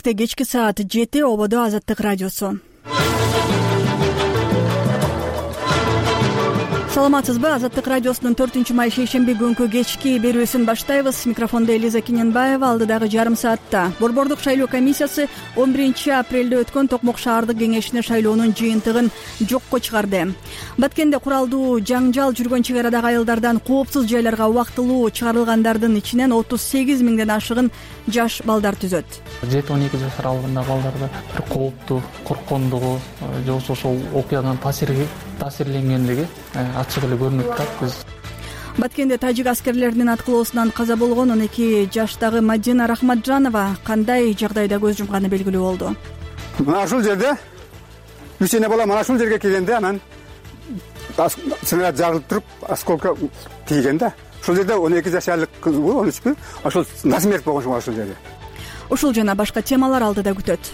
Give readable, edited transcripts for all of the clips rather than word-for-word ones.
Бишкекте кечки саат 7 ободо Азаттык радиосу. Саламатсызбы? Азаттык радиосунун 4-май шейшемби күнкү кечки берүүсүн баштайбыз. Микрофондо Элиза Киненбаева. Алдыдагы жарым саатта Борбордук шайлоо комиссиясы 11-апрелде өткөн Токмок шаардык кеңешине шайлоонун жыйынтыгын жокко чыгарды. Баткенде куралдуу жаңжал жүргөн чек арадагы айылдардан коопсуз жайларга убактылуу чыгарылгандардын ичинен 38 миңден ашыгын жаш балдар түзөт. 7-12 жаш аралыгындагы балдарда бир кооптуу, корккондугу же болбосо ошол окуядан таасирленгендиги ачык эле көрүнүп турат. Биз Баткенде тажик аскерлеринин аткылоосунан каза болгон 12 жаштагы Мадина Рахматжанова кандай жагдайда көз жумганы белгилүү болду. Мына ушул жерде кичине бала мына ушул жерге келгенде анан снаряд жарылып туруп осколка тийген да. Ушул жерде 12 жашарлык кыз, 13 ошол насмерть болгон ушул жерде. Ушул жана башка темалар алдыда күтөт.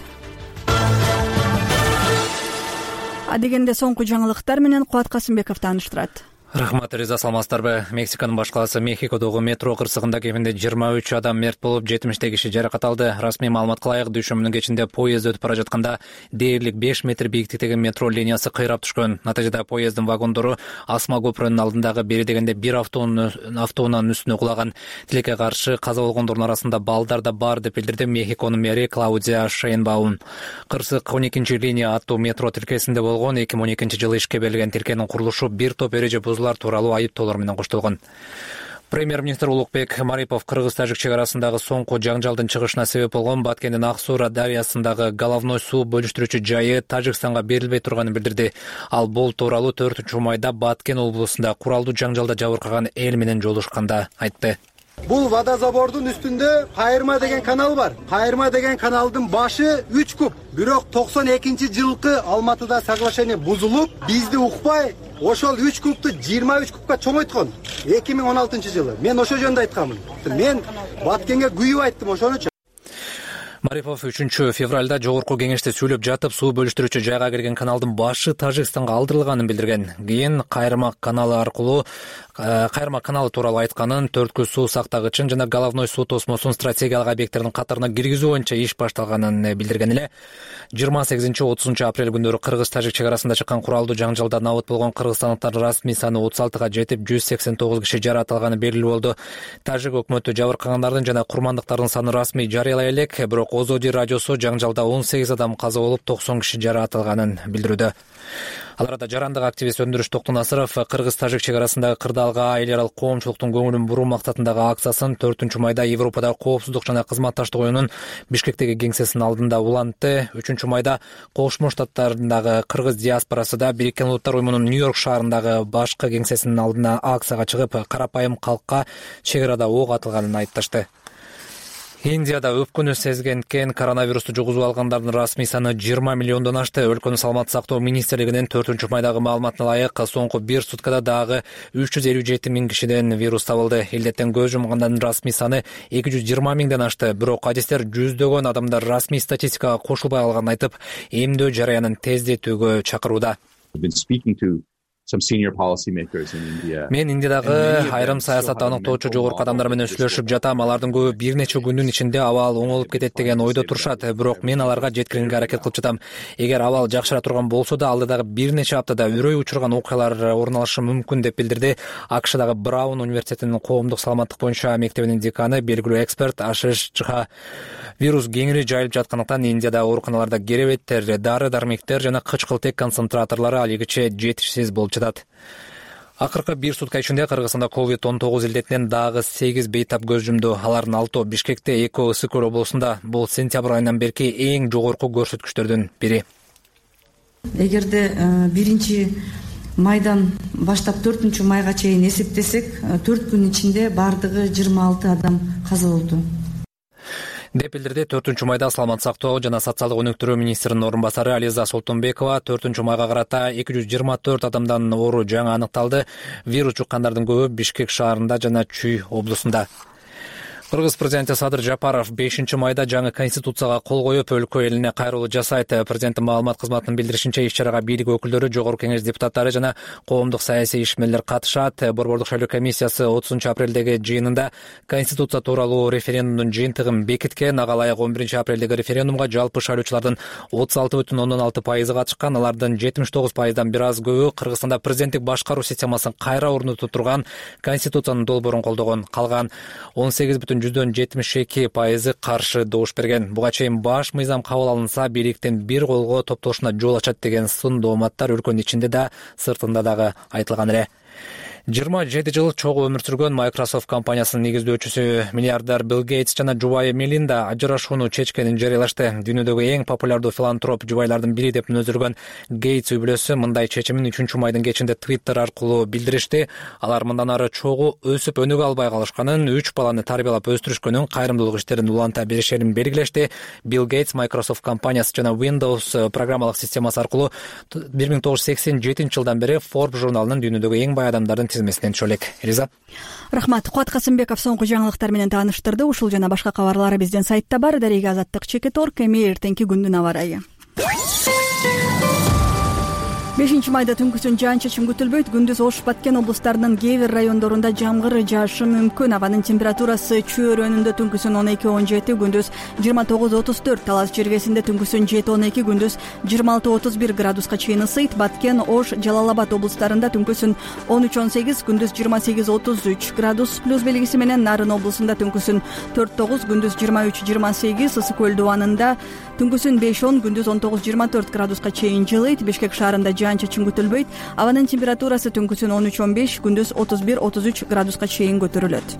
Адегенде соңку жаңылыктар менен Кубат Касымбеков тааныштырат. Рахмат, Риза, саламатсыздарбы? Мексиканын баш калаасы Мехикодогу метро кырсыгында кеминде 23 адам мерт болуп, 70 киши жаракат алды. Расмий маалыматка ылайык, дүйшөмбүнүн кечинде поезд өтүп бара жатканда дээрлик 5 метр бийиктиктеги метро линиясы кыйрап түшкөн. Натыйжада поезддин вагондору Асма көпүрөнүн алдындагы бери дегенде бир автоунан үстүнө кулаган. Тилекке каршы каза болгондордун арасында балдар да бар деп билдирди Мехиконун мэри Клаудия Шейнбаум. Кырсык 12 линия аттуу метро тилкесинде болгон. 2012-жылы ишке берилген тилкенин курулушу бир топ эреже тууралуу айыптоолор менен коштолгон. Премьер-министр Улукбек Марипов кыргыз-тажик чек арасындагы соңку жаңжалдын чыгышына себеп болгон Баткендин Ак-Суура дарыясындагы головной суу бөлүштүрүүчү жайы Тажикстанга берилбей турганын билдирди. Ал бул тууралуу 4-майда Баткен облусунда куралдуу жаңжалда жабыркаган эл менен жолугушканда айтты. Бул водозабордун үстүндө Кайырма деген канал бар. Кайырма деген каналдын башы 3 куб. Бирок 92-жылкы Алматыда соглашение бузулуп, бизди укпай, ошол 3 кубту 23 кубка чоңойткон. 2016-жылы. Мен ошол жөнүндө айтканмын. Мен Баткенге күйүп айттым ошону. Марипов 3-февралда жогорку кеңеште сүйлөп жатып, суу бөлүштүрүүчү жайга кирген каналдын башы Тажикстанга алдырылганын билдирген. Кийин Кайырма каналы тууралуу айтканын, төрткүл суу сактагычын жана головной суу тосмосун стратегиялык объекттердин катарына киргизүү боюнча иш башталганын билдирген эле. 28-30 апрель күндөрү кыргыз-тажик чек арасында чыккан куралдуу жаңжалда набыт болгон кыргызстандыктардын расмий саны 36га жетип, 189 киши жаракат алганы белгилүү болду. Тажик өкмөтү жабыркагандардын жана курмандыктардын саны расмий жарыялай элек, бирок Озоди радиосу жаңжалда 18 адам каза болуп, 90 киши жаракат алганын билдирүүдө. Ал арада жарандык активист Өндүрүш Токтунасыров кыргыз-тажик чек арасындагы кырдаалга эл аралык коомчулуктун көңүлүн буруу максатындагы акциясын 4-майда Европадагы коопсуздук жана кызматташтык оюнунун Бишкектеги кеңсесинин алдында улантты. 3-майда Кошмо Штаттарындагы кыргыз диаспорасы да Бириккен Улуттар уюмунун Нью-Йорк шаарындагы башкы кеңсесинин алдына акцияга чыгып, карапайым калкка чек арада ок атылганын айыпташты. Индияда өпкөнү сезгенкен коронавирусту жугузуп алгандардын расмий саны 20 миллиондон ашты. Өлкөнүн саламаттык сактоо министрлигинин 4-майдагы маалыматына ылайык, соңку бир суткада дагы 357 миң кишиден вирус табылды. Илдеттен көз жумгандардын расмий саны 220 миңден ашты. Бирок адистер жүздөгөн адамдар расмий статистикага кошулбай алганын айтып, эмдөө жараянын тездетүүгө чакырууда. Мен Индиядагы айрым саясат аныктоочу жогорку адамдар менен сүйлөшүп жатам. Алардын көбү бир нече күндүн ичинде абал оңолуп кетет деген ойдо турушат. Бирок мен аларга жеткирүүгө аракет кылып жатам. Эгер абал жакшыра турган болсо да, алдыдагы бир нече аптада үрөй учурган окуялар орун алышы мүмкүн деп билдирди АКШдагы Браун университетинин коомдук саламаттык боюнча мектебинин деканы, белгилүү эксперт Ашиш Чха. Вирус кеңири жайылып жаткандыктан Индияда ооруканаларда керебеттер, дары-дармектер жана кычкылтек концентраторлору алигиче жетишсиз болуп жатат. Акыркы бир сутка ичинде Кыргызстанда COVID-19 илдетинен дагы 8 бейтап көз жумду. Алардын 6 Бишкекте, 2 Ысык Көл облусунда. Бул сентябрь айынан берки эң жогорку көрсөткүчтөрдүн бири. Эгерде 1-майдан баштап 4-майга чейин эсептесек, 4 күн ичинде бардыгы 26 адам каза болду. деп билдирди 4-майда саламаттык сактоо жана социалдык өнүктүрүү министринин орун басары Ализа Солтонбекова. 4-майга карата 224 адамдан оору жаңы аныкталды. Вирус жуккандардын көбү Бишкек шаарында жана Чүй облусунда. Кыргыз президенти Садыр Жапаров 5-майда жаңы конституцияга кол коюп, өлкө элине кайрылуу жасайт. Президенттин маалымат кызматынын билдиришинче, иш-чарага бийлик өкүлдөрү, жогорку кеңеш депутаттары жана коомдук саясий ишмерлер катышат. Борбордук шайлоо комиссиясы 30-апрелдеги жыйынында конституция тууралуу референдумдун жыйынтыгын бекиткен. Ага ылайык 11-апрелдеги референдумга жалпы шайлоочулардын 36,6% катышкан. Алардын 79%дан бир аз көбү Кыргызстанда президенттик башкаруу системасын кайра орнотуп турган конституциянын долбоорун колдогон. Калган 18,72% каршы добуш берген. Буга чейин баш мыйзам кабыл алынса, бийликтин бир колго топтолушуна жол ачат деген сын дооматтар өлкөнүн ичинде да, сыртында дагы айтылган эле. 27 жыл чогуу өмүр сүргөн Microsoft компаниясынын негиздөөчүсү миллиардер Билл Гейтс жана жубайы Мелинда ажырашууну чечкенин жарыялашты. Дүйнөдөгү эң популярдуу филантроп жубайлардын бири деп мүнөздөлгөн Гейтс үй-бүлөсү мындай чечимин 3-майдын кечинде Twitter аркылуу билдиришти. Алар мындан ары чогуу өсүп өнүгө албай калышканын, 3 баланы тарбиялап өстүрүшкөнүн, кайрымдуулук иштерин уланта беришерин белгилешти. Билл Гейтс Microsoft компаниясы жана Windows программалык системасы аркылуу 1987 жылдан бери Forbes журналынын дүйнөдөгү эң бай адамдардын тизмесинен түшө элек. Элиза. Рахмат. Куат Касымбеков соңку жаңылыктар менен тааныштырды. Ушул жана башка кабарлар биздин сайтта бар. Дареге Азаттык, Чекет.орг. Эми эртеңки күндүн аба ырайы. 5-майда түнкүсүн жаан-чачын күтүлбөйт. Күндүз Ош, Баткен облустарынын кээ бир райондорунда жамгыр жаашы мүмкүн. Абанын температурасы Чүй өрөөнүндө түнкүсүн 12-17, күндүз 29-34, Талас жергесинде түнкүсүн 7-12, күндүз 26-31 градуска чейин ысыйт. Баткен, Ош, Жалал-Абад облустарында түнкүсүн 13-18, күндүз 28-33 градус плюс белгиси менен. Нарын облусунда түнкүсүн 4-9, күндүз 23-28, Ысык көл дубанында түнкүсүн 5-10, күндүз 19-24 градуска чейин жылыйт. Бишкек шаарында жаан-чачын күтүлбөйт. Абанын температурасы түнкүсүн 13-15, күндүз 31-33 градуска чейин көтөрүлөт.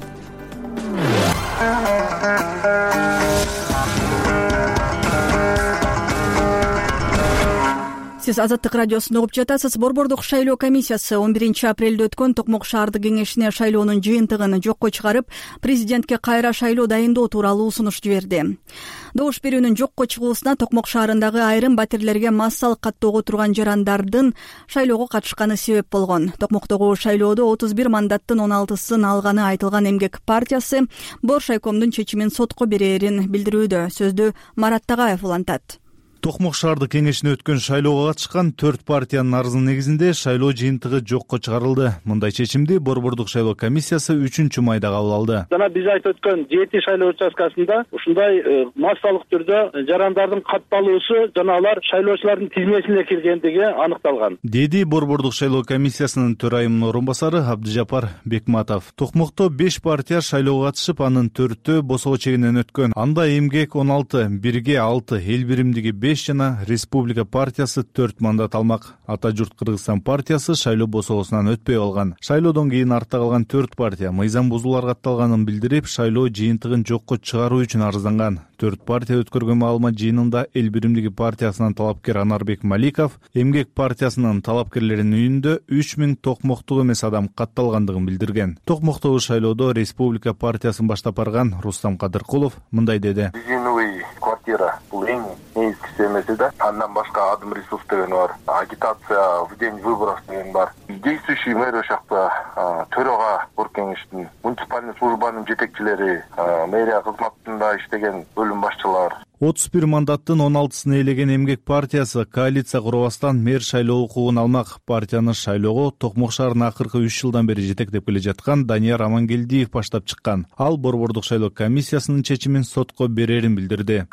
Сиз Азаттык радиосун угуп жатасыз. Борбордук шайлоо комиссиясы 11-апрелде өткөн Токмок шаардык кеңешине шайлоонун жыйынтыгын жокко чыгарып, президентке кайра шайлоо дайындоо тууралуу сунуш жиберди. Добуш берүүнүн жокко чыгуусуна Токмок шаарындагы айрым батирлерге массалык каттоого турган жарандардын шайлоого катышканы себеп болгон. Токмоктогу шайлоодо 31 мандаттын 16сын алганы айтылган Эмгек партиясы Бор шайкомдун чечимин сотко берерин билдирүүдө. Сөздү Марат Тагаев улантат. Токмок шаардык кеңешине өткөн шайлоого катышкан 4 партиянын арызынын негизинде шайлоо жыйынтыгы жокко чыгарылды. Мындай чечимди Борбордук шайлоо комиссиясы 3-майда кабыл алды. Жана биз айтып өткөн 7 шайлоо участкасында ушундай массалык түрдө жарандардын катталуусу жана алар шайлоочулардын тизмесине киргендиги аныкталган, деди Борбордук шайлоо комиссиясынын төрайымынын орун басары Абдыжапар Бекматов. Токмокто 5 партия шайлоого катышып, анын 4-тө босоо чегинен өткөн. Анда Эмгек 16, Бирге 6, Эл биримдиги 5 жана Республика партиясы 4 мандат алмак. Ата журт Кыргызстан партиясы шайлоо босоосунан өтпөй калган. Шайлоодон кийин артта калган 4 партия мыйзам бузуулар катталганын билдирип, шайлоо жыйынтыгын жокко чыгаруу үчүн арызданган. 4 партия өткөргөн маалымат жыйынында Эл биримдиги партиясынын талапкер Анарбек Маликов Эмгек партиясынын талапкерлеринин үйүндө 3000 токмоктук эмес адам катталгандыгын билдирген. Токмоктогу шайлоодо Республика партиясын баштап барган Рустам Кадыркулов мындай деди. Квартира бул эң негизгиси эмес да. Андан башка адым ресурс деген бар. Агитация в день выборов деген бар. Действующий мэр ошакта төрага кеңештин, муниципальный службанын жетекчилери, мэрия кызматында иштеген бөлүм башчылар. 31 мандаттын 16сын ээлеген Эмгек партиясы коалиция курбастан мэр шайлоо укугун алмак. Партияны шайлоого Токмок шаарынын акыркы 3 жылдан бери жетектеп келе жаткан Данияр Амангелдиев баштап чыккан. Ал Борбордук шайлоо комиссиясынын чечимин сотко берерин билдирди.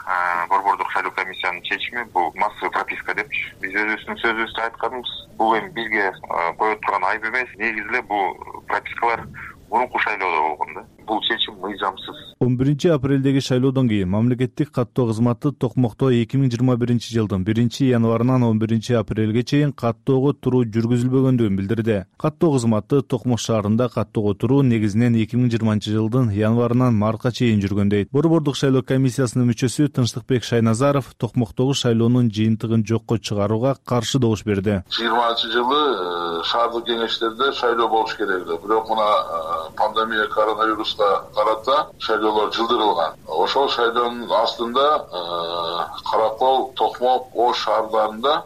Борбордук шайлоо комиссиянын чечими бул массовый прописка деп биз өзүбүздүн сөзүбүздө айтканбыз. Бул эми бизге коюп турган айып эмес. Негизи эле бул пропискалар мурунку шайлоодо болгон да. Бул чечим мыйзамсыз. 11-апрелдеги шайлоодон кийин мамлекеттик каттоо кызматы Токмокто 2021-жылдын 1-январынан 11-апрелге чейин каттоого туруу жүргүзүлбөгөндүгүн билдирди. Каттоо кызматы Токмок шаарында каттоого туруу негизинен 2020-жылдын январынан мартка чейин жүргөн дейт. Борбордук шайлоо комиссиясынын мүчөсү Тынчтыкбек Шайназаров Токмоктогу шайлоонун жыйынтыгын жокко чыгарууга каршы добуш берди. 20-жылы шаардык кеңештерде шайлоо болуш керек эле. Бирок мына пандемия, коронавируска карата шайлоолор жылдырылган. Ошол шайлоонун астында Каракол, Токмок, Ош шаардарында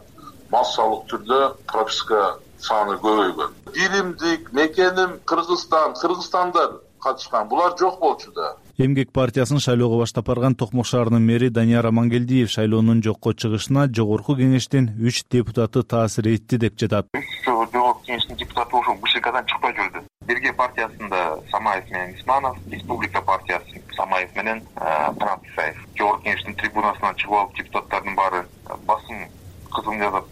массалык түрдө прописка саны көбөйгөн. Диримдик, мекеним Кыргызстан, кыргызстандар катышкан, булар жок болчу да. Эмгек партиясын шайлоого баштап барган Токмок шаарынын мэри Данияр Амангелдиев шайлоонун жокко чыгышына жогорку кеңештин 3 депутаты таасир этти деп жатат. Жогорку кеңештин депутаты ошол БШКдан чыкпай жүрдү. Бирге партиясында Самаев менен Исманов, Республика партиясы Самаев менен Трансаев. Жогорку кеңештин трибунасынан чыгып алып депутаттардын баары басым кызым жазат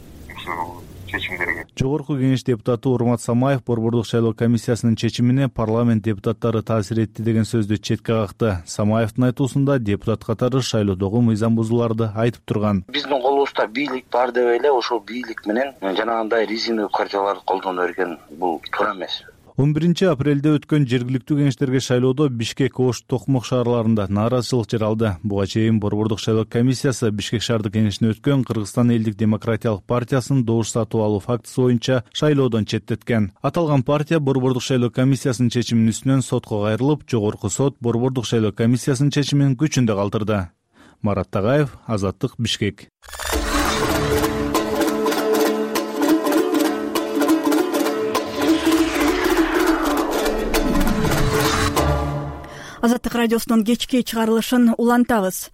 чечимдерге. Жогорку кеңеш депутаты Урмат Самаев Борбордук шайлоо комиссиясынын чечимине парламент депутаттары таасир этти деген сөздү четке какты. Самаевдин айтуусунда депутат катары шайлоодогу мыйзам бузууларды айтып турган. Биздин колубузда бийлик бар деп эле ошол бийлик менен жанагындай резиновый кардияларды колдоно берген бул туура эмес. 11 апрелде өткөн жергиликтүү кеңештерге шайлоодо Бишкек, Ош, Токмок шаарларында нааразычылык жаралды. Буга чейин Борбордук шайлоо комиссиясы Бишкек шаардык кеңешине өткөн Кыргызстан элдик демократиялык партиясын добуш сатып алуу фактысы боюнча шайлоодон четтеткен. Аталган партия Борбордук шайлоо комиссиясынын чечиминин үстүнөн сотко кайрылып, жогорку сот Борбордук шайлоо комиссиясынын чечимин күчүндө калтырды. Марат Тагаев, Азаттык, Бишкек. Азаттык радиосунун кечки чыгарылышын улантабыз.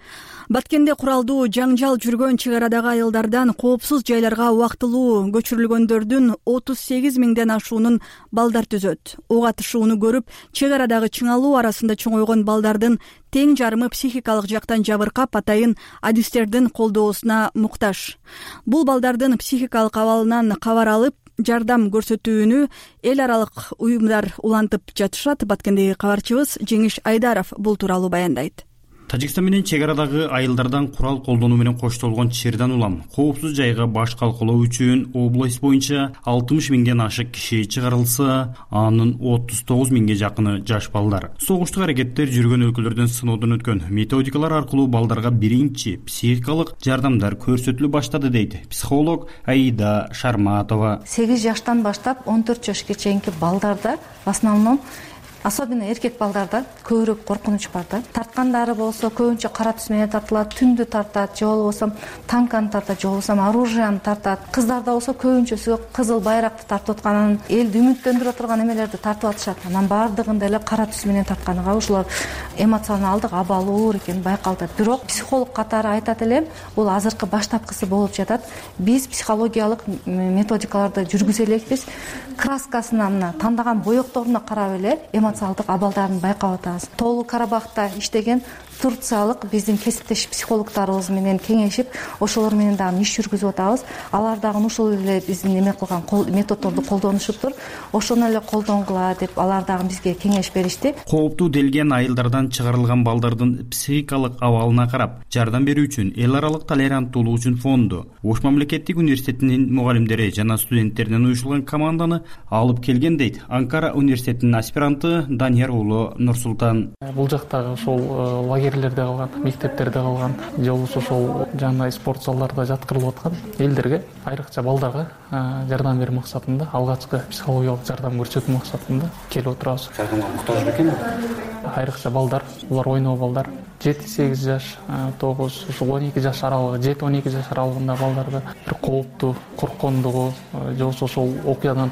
Баткенде куралдуу жаңжал жүргөн чек арадагы айылдардан коопсуз жайларга убактылуу көчүрүлгөндөрдүн 38 миңден ашуунун балдар түзөт. Ок атышууну көрүп, чек арадагы чыңалуу арасында чоңойгон балдардын тең жарымы психикалык жактан жабыркап, атайын адистердин колдоосуна муктаж. Бул балдардын психикалык абалынан кабар алып, жардам көрсөтүүнү эл аралык уюмдар улантып жатышат. Баткендеги кабарчыбыз Жеңиш Айдаров бул тууралуу баяндайт. Тажикстан менен чек арадагы айылдардан курал колдонуу менен коштолгон чирдан улам коопсуз жайга баш калкалоо үчүн область боюнча 60 миңден ашык киши чыгарылса, анын 39 миңге жакыны жаш балдар. Согуштук аракеттер жүргөн өлкөлөрдөн сыноодон өткөн методикалар аркылуу балдарга биринчи психикалык жардамдар көрсөтүлө баштады дейт психолог Аида Шарматова. 8 жаштан баштап 14 жашка чейинки балдарда в основном, особенно эркек балдарда көбүрөөк коркунуч бар да. Тарткандары болсо көбүнчө кара түс менен тартылат, түндү тартат, же болбосо танканы тартат, же болбосо оружияны тартат. Кыздарда болсо көбүнчөсү кызыл байракты тартып атканын, элди үмүттөндүрө турган эмелерди тартып атышат. Анан баардыгында эле кара түс менен тартканыга ушулар эмоционалдык абалы оор экени байкалат. Бирок психолог катары айтат элем, бул азыркы баштапкысы болуп жатат. Биз психологиялык методикаларды жүргүзө элекпиз. Краскасына, мына тандаган боекторуна карап эле эмоционалдык абалдарын байкап атабыз. Тоолуу Карабахта иштеген турциялык биздин кесиптеш психологдорубуз менен кеңешип, ошолор менен дагы иш жүргүзүп атабыз. Алар дагы ушул эле биздин эме кылган методдорду колдонушуптур. Ошону эле колдонгула деп алар дагы бизге кеңеш беришти. Кооптуу делген айылдардан чыгарылган балдардын психикалык абалына карап, жардам берүү үчүн эл аралык толеранттуулук үчүн фонду, Ош мамлекеттик университетинин мугалимдери жана студенттеринен уюшулган команданы алып келген дейт Анкара университетинин аспиранты Данияр уулу Нурсултан. Бул жактагы ошол лагерлерде калган, мектептерде калган, же болбосо ошол жана спорт залдарда жаткырылып аткан элдерге, айрыкча балдарга жардам берүү максатында, алгачкы психологиялык жардам көрсөтүү максатында келип отурабыз. Жардамга муктаж бекен? Айрыкча балдар, булар ойноо балдар, 7-8 жаш, 9-12 жаш аралыгы, 7-12 жаш аралыгында балдарда бир кооптуу, корккондугу, же болбосо ошол окуядан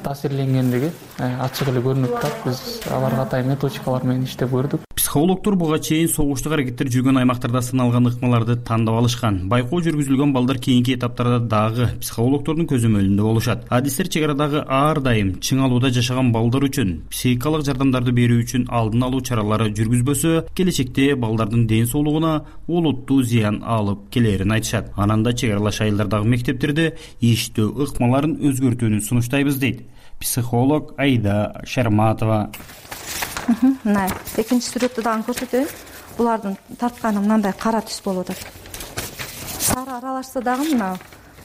таасирленгендиги ачык эле көрүнүп турат. Биз аларга атайын методикалар менен иштеп көрдүк. Психологдор буга чейин согуштук аракеттер жүргөн аймактарда сыналган ыкмаларды тандап алышкан. Байкоо жүргүзүлгөн балдар кийинки этаптарда дагы психологдордун көзөмөлүндө болушат. Адистер чек арадагы ар дайым чыңалууда жашаган балдар үчүн психикалык жардамдарды берүү үчүн алдын алуу чаралары жүргүзбөсө, келечекте балдардын ден соолугуна олуттуу зыян алып келерин айтышат. Анан да чек аралаш айылдардагы мектептерде иштөө ыкмаларын өзгөртүүнү сунуштайбыз дейт психолог Аида Шарматова. Мына экинчи сүрөттү дагы көрсөтөйүн. Булардын тартканы мындай кара түс болуп атат. Сары аралашса дагы мына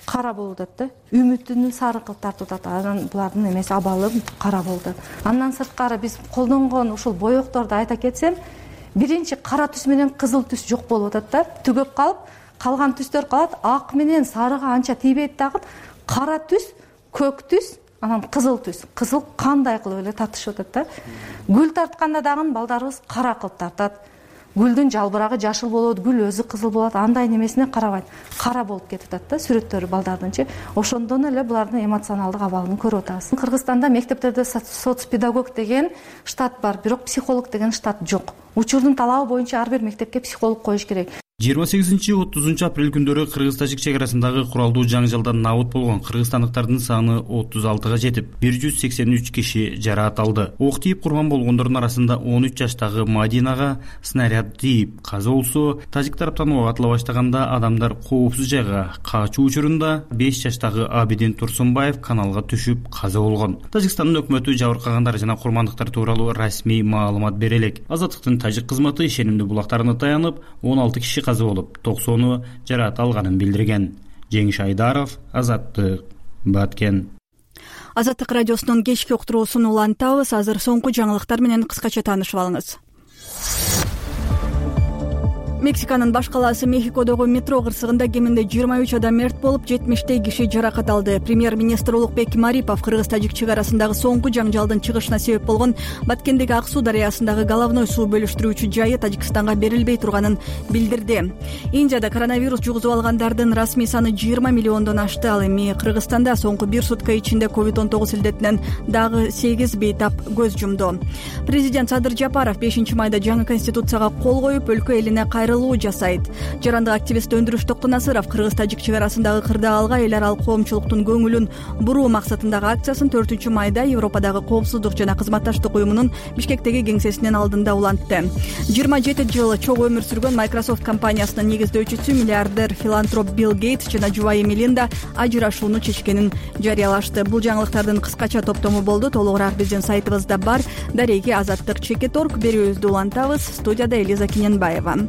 кара болуп атат да. Үмүтүнүн сары кылып тартып атат. Анан булардын эмеси абалы кара болду. Андан сырткары биз колдонгон ушул боекторду айта кетсем, биринчи кара түс менен кызыл түс жок болуп атат да. Түгөп калып, калган түстөр калат. Ак менен сарыга анча тийбейт дагы. Кара түс, көк түс, анан кызыл түс. Кызыл кандай кылып эле тартышып атат да. Гүл тартканда дагы балдарыбыз кара кылып тартат. гүлдүн жалбырагы жашыл болот, гүл өзү кызыл болот, андай немесине карабайт, кара болуп кетип атат да сүрөттөрү балдардынчы. Ошондон эле булардын эмоционалдык абалын көрүп атабыз. Кыргызстанда мектептерде соцпедагог деген штат бар, бирок психолог деген штат жок. Учурдун талабы боюнча ар бир мектепке психолог коюш керек. 28-30 апрель күндөрү кыргыз-тажик чек арасындагы куралдуу жаңжалдан набыт болгон кыргызстандыктардын саны 36га жетип, 183 киши жараат алды. Ок тийип курман болгондордун арасында 13 жаштагы Мадинага снаряд тийип каза болсо, тажик тараптан ок атыла баштаганда адамдар коопсуз жайга качуу учурунда 5 жаштагы Абидин Турсунбаев каналга түшүп каза болгон. Тажикстандын өкмөтү жабыркагандар жана курмандыктар тууралуу расмий маалымат бере элек. Азаттыктын тажик кызматы ишенимдүү булактарына таянып, 16 киши каза болуп, 90-ы жараат алганын билдирген. Жеңиш Айдаров, Азаттык, Баткен. Азаттык радиосунун кечки уктуруусун улантабыз. Азыр соңку жаңылыктар менен кыскача таанышып алыңыз. Мексиканын баш калаасы Мехикодогу метро кырсыгында кеминде 23 адам мерт болуп, 70 киши жаракат алды. Премьер-министр Улукбек Марипов кыргыз-тажик чек арасындагы соңку жаңжалдын чыгышына себеп болгон Баткендеги Ак суу дарыясындагы головной суу бөлүштүрүүчү жайы Тажикстанга берилбей турганын билдирди. Индияда коронавирус жугузуп алгандардын расмий саны 20 миллиондон ашты. Ал эми Кыргызстанда соңку бир сутка ичинде COVID-19 илдетинен дагы 8 бейтап көз жумду. Президент Садыр Жапаров 5-майда жаңы конституцияга кол коюп, өлкө элине жасайт. Жарандык активист Өндүрүш Токтонасыров кыргыз-тажик чек арасындагы кырдаалга эл аралык коомчулуктун көңүлүн буруу максатындагы акциясын 4-майда Европадагы коопсуздук жана кызматташтык уюмунун Бишкектеги кеңсесинин алдында улантты. 27 жыл чогуу өмүр сүргөн Microsoft компаниясынын негиздөөчүсү миллиардер филантроп Билл Гейтс жана жубайы Мелинда ажырашууну чечкенин жарыялашты. Бул жаңылыктардын кыскача топтому болду. Толугураак биздин сайтыбызда бар. Дареги Азаттык Чекет.орг берүүбүздү улантабыз. Студияда Элиза Киненбаева.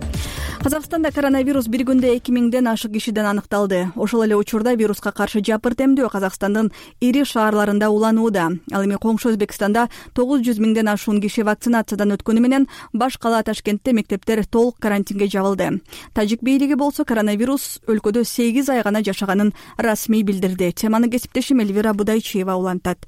Казакстанда коронавирус бир күндө 2000ден ашык кишиден аныкталды. Ошол эле учурда вируска каршы жапырт эмдөө Казакстандын ири шаарларында уланууда. Ал эми коңшу Өзбекстанда 900 миңден ашуун киши вакцинациядан өткөнү менен баш кала Ташкентте мектептер толук карантинге жабылды. Тажик бийлиги болсо коронавирус өлкөдө 8 ай гана жашаганын расмий билдирди. Теманы кесиптешим Эльвира Будайчиева улантат.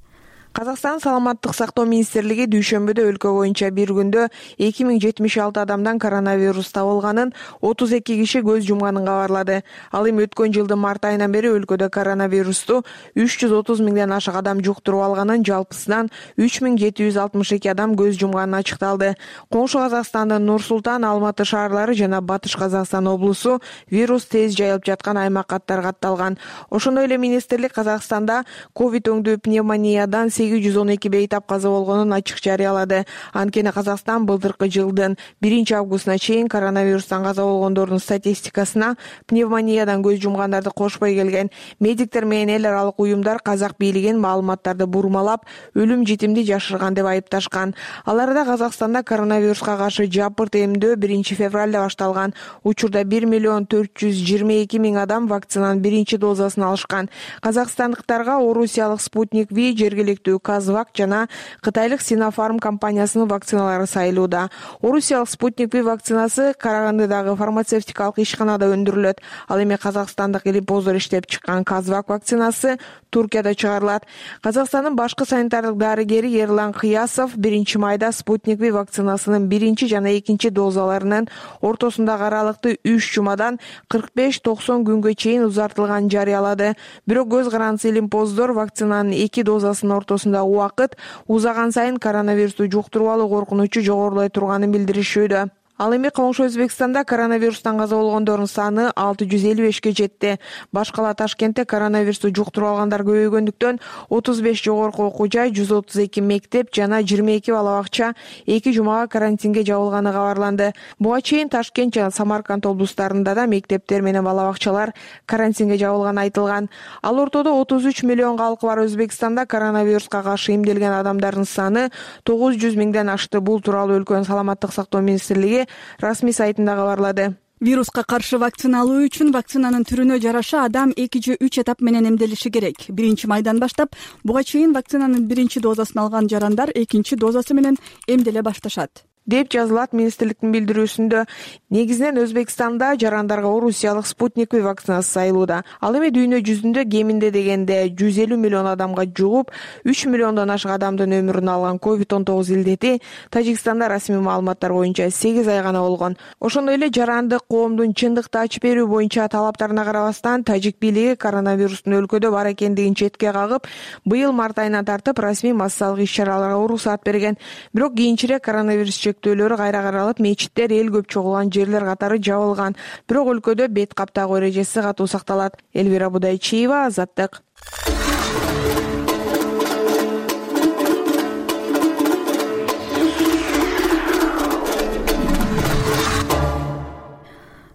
Казакстан саламаттык сактоо министрлиги дүйшөмбүдө өлкө боюнча бир күндө 2076 адамдан коронавирус табылганын, 32 киши көз жумганын кабарлады. Ал эми өткөн жылдын март айынан бери өлкөдө коронавирусту 330 миңден ашык адам жуктуруп алганын, жалпысынан 3762 адам көз жумганын ачыкталды. Коңшу Казакстандын Нур Султан, Алматы шаарлары жана Батыш Казакстан облусу вирус тез жайылып жаткан аймак катары катталган. Ошондой эле министрлик Казакстанда ковид өңдүү пневмониядан 812 бейтап каза болгонун ачык жарыялады. Анткени Казакстан былтыркы жылдын 1-августуна чейин коронавирустан каза болгондордун статистикасына пневмониядан көз жумгандарды кошпой келген. Медиктер менен эл аралык уюмдар казак бийлигин маалыматтарды бурмалап, өлүм житимди жашырган деп айыпташкан. Аларда Казакстанда коронавируска каршы жапырт эмдөө 1-февралда башталган. Учурда 1 422 000 адам вакцинанын биринчи дозасын алышкан. Казакстандыктарга орусиялык Спутник V, жергиликтүү Казвак жана кытайлык Синофарм компаниясынын вакциналары сайылууда. Орусиялык Спутник V вакцинасы Карагандыдагы фармацевтикалык ишканада өндүрүлөт. Ал эми казакстандык Илипозор иштеп чыккан Казвак вакцинасы Туркияда чыгарылат. Казакстандын башкы санитардык дарыгери Ерлан Кыясов 1-майда Спутник V вакцинасынын биринчи жана экинчи дозаларынын ортосундагы аралыкты 3 жумадан 45-90 күнгө чейин узартылганын жарыялады. Бирок көз карандысы Илипозор вакцинанын 2 дозасынын ортосунда убакыт узаган сайын коронавирусту жуктуруп алуу коркунучу жогорулай турганын билдиришүүдө. Ал эми коңшу Өзбекстанда коронавирустан каза болгондордун саны 655ке жетти. Баш кала Ташкентте коронавирусту жуктуруп алгандар көбөйгөндүктөн 35 жогорку окуу жай, 132 мектеп жана 22 бала бакча 2 жумага карантинге жабылганы кабарланды. Буга чейин Ташкент жана Самарканд облустарында да мектептер менен бала бакчалар карантинге жабылганы айтылган. Ал ортодо 33 миллион калкы бар Өзбекстанда коронавируска каршы эмделген адамдардын саны 900 миңден ашты. Бул тууралуу өлкөнүн саламаттык сактоо министрлиги расмий сайтында кабарлады. Вируска каршы вакцина алуу үчүн вакцинанын түрүнө жараша адам 2 же 3 этап менен эмделиши керек. 1-майдан баштап буга чейин вакцинанын биринчи дозасын алган жарандар экинчи дозасы менен эмделе башташат. деп жазылат министрликтин билдирүүсүндө. Негизинен Өзбекстанда жарандарга орусиялык Спутник V вакцинасы сайылууда. Ал эми дүйнө жүзүндө кеминде дегенде 150 миллион адамга жугуп, 3 миллиондон ашык адамдын өмүрүн алган COVID-19 илдети Тажикстанда расмий маалыматтар боюнча 8 ай гана болгон. Ошондой эле жарандык коомдун чындыкты ачып берүү боюнча талаптарына карабастан тажик бийлиги коронавирустун өлкөдө бар экендигин четке кагып, быйыл март айынан тартып расмий массалык иш-чараларга уруксаат берген. Бирок кийинчерээк коронавирус чектөөлөрү кайра каралып, мечиттер, эл көп чогулган жерлер катары жабылган. Бирок өлкөдө бет каптагуу эрежеси катуу сакталат. Элвира Будайчиева, Азаттык.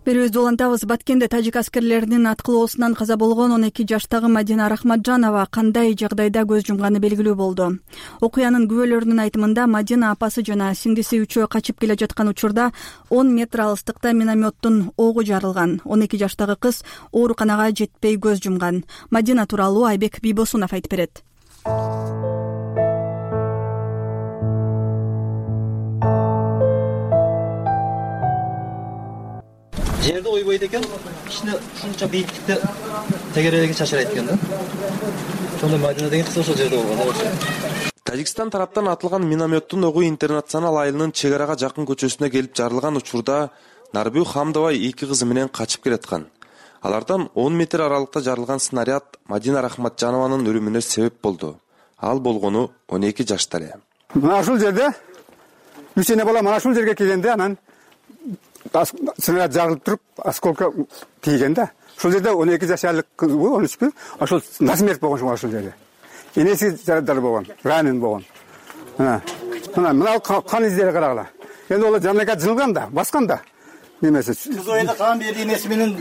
Берүүбүздү улантабыз. Баткенде тажик аскерлеринин аткылоосунан каза болгон 12 жаштагы Мадина Рахматжанова кандай жагдайда көз жумганы белгилүү болду. Окуянын күбөлөрүнүн айтымында Мадина апасы жана сиңдиси үчөө качып келе жаткан учурда 10 метр алыстыкта минометтун огу жарылган. 12 жаштагы кыз ооруканага жетпей көз жумган. Мадина тууралуу Айбек Бийбосунов айтып берет. Жерде ойбойт экен, кичине ушунча бийиктикте тегерелеги чачырайт экен да. Ошондо Мадина деген кыз ошол жерде болгон да. Тажикстан тараптан атылган минометтун огу Интернационал айылынын чек арага жакын көчөсүнө келип жарылган учурда Нарбүү Хамдова 2 кызы менен качып келаткан. Алардан 10 метр аралыкта жарылган снаряд Мадина Рахматжанованын өлүмүнө себеп болду. Ал болгону 12 жашта эле. Мына ушул жерде кичине бала мына ушул жерге келгенде анан снаряд жарылып туруп, осколка тийген да. Ушул жерде 12 жашарлык кыз, 13 ошол насмерть болгон ушул жерде. Энеси жарадар болгон, ранен болгон. Мына кан издери карагыла. Эми ол жанага жылган да, баскан да. Немеси. Кыз ойда кан берди, энеси менен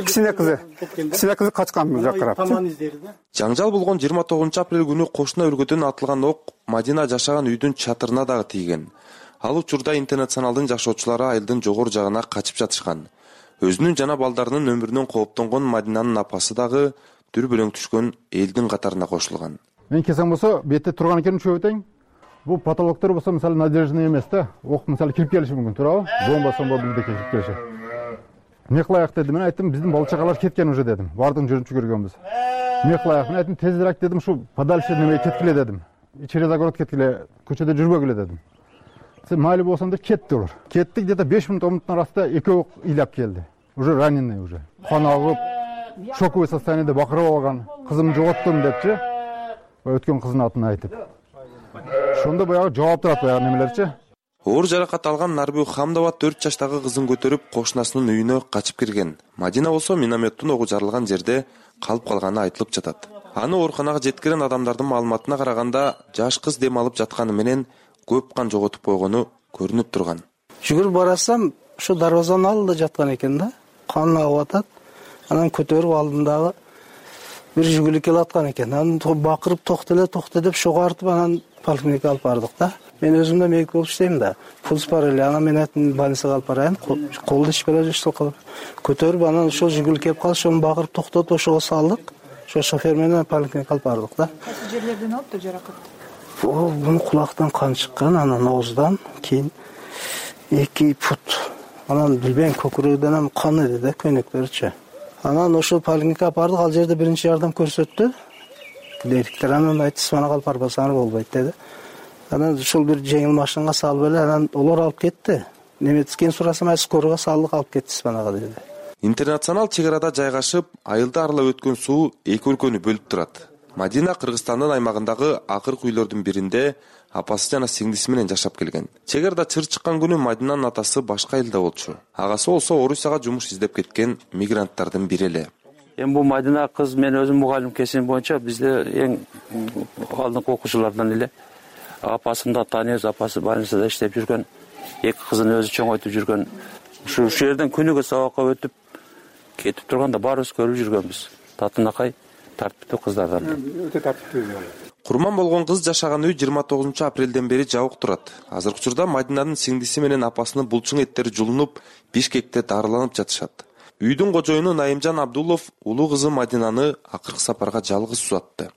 кичине кызы качкан бул жакка карап. Таман издери да. Жаңжал болгон 29 апрель күнү кошуна өлкөдөн атылган ок Мадина жашаган үйдүн чатырына дагы тийген. Ал учурда Интернационалдын жашоочулары айылдын жогору жагына качып жатышкан. Өзүнүн жана балдарынын өмүрүнөн кооптонгон Мадинанын апасы дагы дүрбөлөң түшкөн элдин катарына кошулган. Мен келсем болсо, бетте турган экен чөбөтең. Бул патологдор болсо, мисалы, надежный эмес да. Ок мисалы кирип келиши мүмкүн, туурабы? Бомба бизде кирип келиши. Эмне кылайык дедим, мен айттым, биздин бала чагалар кеткен уже дедим. Бардыгын жүрүнчү көргөнбүз. Эмне кылайык? Мен айттым, тезирээк дедим, ушу подальше неме кеткиле дедим. Через огород кеткиле, көчөдө жүрбөгүлө дедим. Майли болсам деп кетти олар. Кетти, где-то 5 минут 10 минуттун арасында экөө ыйлап келди. Уже раненый уже. Кан агып, шоковый состояниеде бакырып алган. Кызым жоготтум депчи. Өткөн кыздын атын айтып. Ошондо баягы жооп турат баягы немелерчи. Оор жаракат алган Нарбүү Хамдова 4 жаштагы кызын көтөрүп кошунасынын үйүнө качып кирген. Мадина болсо минометтун огу жарылган жерде калып калганы айтылып жатат. Аны ооруканага жеткирген адамдардын маалыматына караганда, жаш кыз дем алып жатканы менен көп кан жоготуп койгону көрүнүп турган. Жүгүрүп барасам, ошо дарбазанын алдында жаткан экен да. Кан агып атат. Анан көтөрүп алдымдагы бир жүгүлүк келаткан экен. Анан бакырып токто деп шогартып анан поликлиникага алып бардык да. Мен өзүм да медик болуп иштейм да. Пулс бар эле. Анан мен айттым, больницага алып барайын. Колду ишпеле жушту кылып. Көтөрүп анан ошол жүгүлүк келип калды, ошону бакырып токтотуп ошого салдык. Ошо шофер менен поликлиникага алып бардык да. Кайсы жерлерден алыптыр жаракат? Бунун кулактан кан чыккан, анан ооздан кийин 2 фут. Анан билбейм, көкүрөгдөн ham кан эди да, көйнөктөрүчө. Анан ошол поликлиникага алып бардык, ал жерде биринчи жардам көрсөттү. Директор анан айтты, сманага алып барбасаңар болбойт деди. Анан ушул бир жеңил машинага салып эле, анан олар алып кетти. Немецкин сурасам, скорого салдык, алып кетти сманага деди. Интернационал чек арада жайгашып, айылды аралап өткөн суу эки өлкөнү бөлүп турат. Мадина Кыргызстандын аймагындагы акыркы үйлөрдүн биринде апасы жана сиңдиси менен жашап келген. Чек арада чыр чыккан күнү Мадинанын атасы башка элде болчу. Агасы болсо Орусияга жумуш издеп кеткен мигранттардын бири эле. Эми бул Мадина кыз, мен өзүм мугалим кесим боюнча бизде эң алдыңкы окуучулардан эле. Апасын да тааныйбыз, апасы больницада иштеп жүргөн, эки кызын өзү чоңойтуп жүргөн. Ушу жерден күнүгө сабакка өтүп кетип турганда баарыбыз көрүп жүргөнбүз. Татынакай тартиптүү кыздардан. Өтө тартиптүү. Курман болгон кыз жашаган үй 29 апрелден бери жабык турат. Азыркы учурда Мадинанын сиңдиси менен апасынын булчуң эттери жулунуп, Бишкекте дарыланып жатышат. Үйдүн кожоюну Найымжан Абдулов улуу кызы Мадинаны акыркы сапарга жалгыз узатты.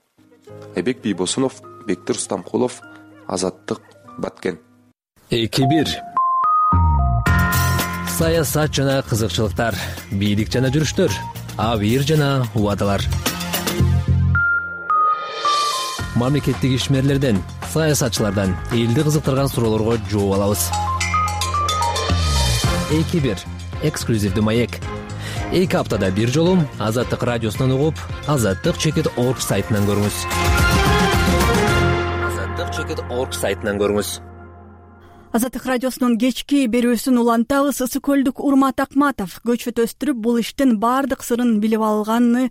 Айбек Бийбосунов, Бектир Устамкулов, Азаттык, Баткен. 2-1 саясат жана кызыкчылыктар, бийлик жана жүрүштөр, абийир жана убадалар. Мамлекеттик ишмерлерден, саясатчылардан элди кызыктырган суроолорго жооп алабыз. 2-1 эксклюзивдүү маек. 2 аптада бир жолу Азаттык радиосунан угуп, azattik.org сайтынан көрүңүз. azattik.org сайтынан көрүңүз. Азаттык радиосунун кечки берүүсүн улантабыз. Ысык көлдүк Урмат Акматов көчөт өстүрүп, бул иштин баардык сырын билип алган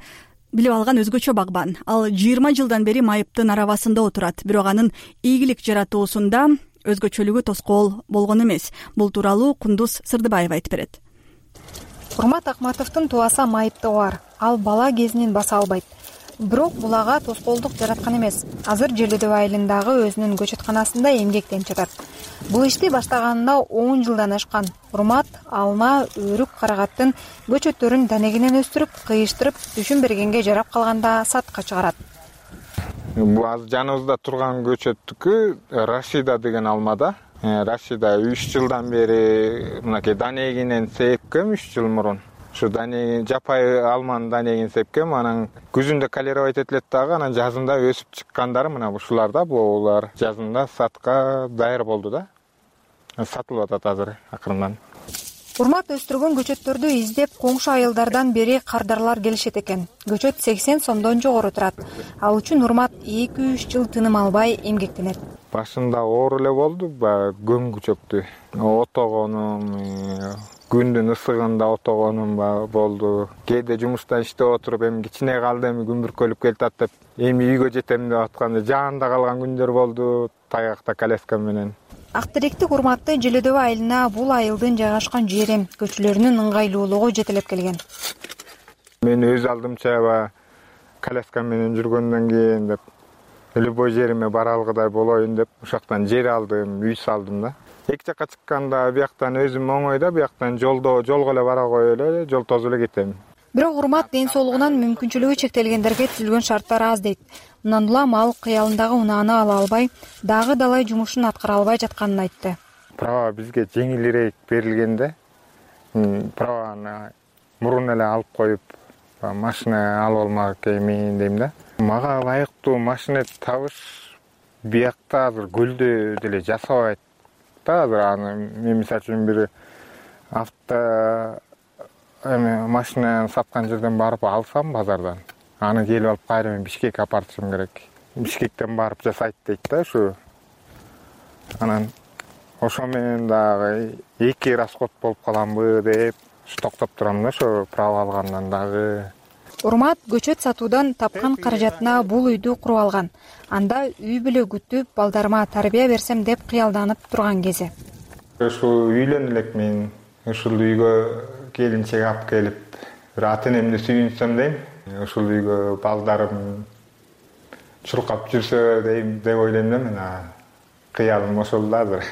өзгөчө багбан. Ал 20 жылдан бери майыптын арабасында отурат, бирок анын ийгилик жаратуусунда өзгөчөлүгү тоскоол болгон эмес. Бул тууралуу Кундуз Сырдыбаева айтып берет. Урмат Акматовдун тубаса майыптыгы бар. Ал бала кезинен баса албайт. Бирок бул ага тоскоолдук жараткан эмес. Азыр Желөдөб айылындагы өзүнүн көчөтканасында эмгектенип жатат. Бул ишти баштаганына 10 жылдан ашкан. Урмат алма, өрүк, карагаттын көчөттөрүн данегинен өстүрүп, кыйыштырып, түшүн бергенге жарап калганда сатка чыгарат. Бул азыр жаныбызда турган көчөттүкү Рашида деген алмада. Рашида 3 жылдан бери мынакей данегинен сепкем 3 жыл мурун. Ушу данеги жапай алманын данегин сепкем, анан күзүндө калировать этилет дагы, анан жазында өсүп чыккандары мына ушулар да, булар жазында сатка даяр болду да. Сатылып атат азыр акырындан. Урмат өстүргөн көчөттөрдү издеп коңшу айылдардан бери кардарлар келишет экен. Көчөт 80 сомдон жогору турат. Ал үчүн Урмат 2-3 жыл тыным албай эмгектенет. Башында оор эле болду, көңгүчөктү отогонум, күндүн ысыгында отогонум болду. Кээде жумуштан иштеп отуруп, эми кичине калды, эми күн бүркөлүп келатат деп, эми үйгө жетем деп атканда жаанда калган күндөр болду, таякта коляска менен. Ак теректик Урматты Желөдөб айылына бул айылдын жайгашкан жери көчөлөрүнүн ыңгайлуулугу жетелеп келген. Мен өз алдымча коляска менен жүргөндөн кийин деп любой жериме бара алгыдай болоюн деп ушактан жер алдым, үй салдым да. Эки жакка чыкканда бияктан өзүм оңойда, бияктан жолго эле бара коюп эле, жол тосуп эле кетем. Бирок Урмат ден соолугунан мүмкүнчүлүгү чектелгендерге түзүлгөн шарттар аз дейт. Мындан улам ал кыялындагы унааны ала албай, дагы далай жумушун аткара албай жатканын айтты. Права бизге жеңилирээк берилгенде, праваны мурун эле алып коюп, машина алып алмак эми дейм да. Мага ылайыктуу машина табыш биякта азыр көлдө деле жасабайт да. Азыр аны мен мисалы үчүн бир машина саткан жерден барып алсам базардан, аны келип алып кайра мен Бишкекке апартышым керек. Бишкектен барып жасайт дейт да ушу. Анан ошо менен дагы 2 расход болуп каламбы деп токтоп турам да, ошо право алгандан дагы. Урмат көчөт сатуудан тапкан каражатына бул үйдү куруп алган. Анда үй бүлө күтүп, балдарыма тарбия берсем деп кыялданып турган кези. Ушул үйлөн элек мен ушул үйгө келинчек алып келип, бир ата энемди сүйүнсөм дейм. Ушул үйгө балдарым чуркап жүрсө дейм деп ойлойм да мен. Кыялым ошол да азыр.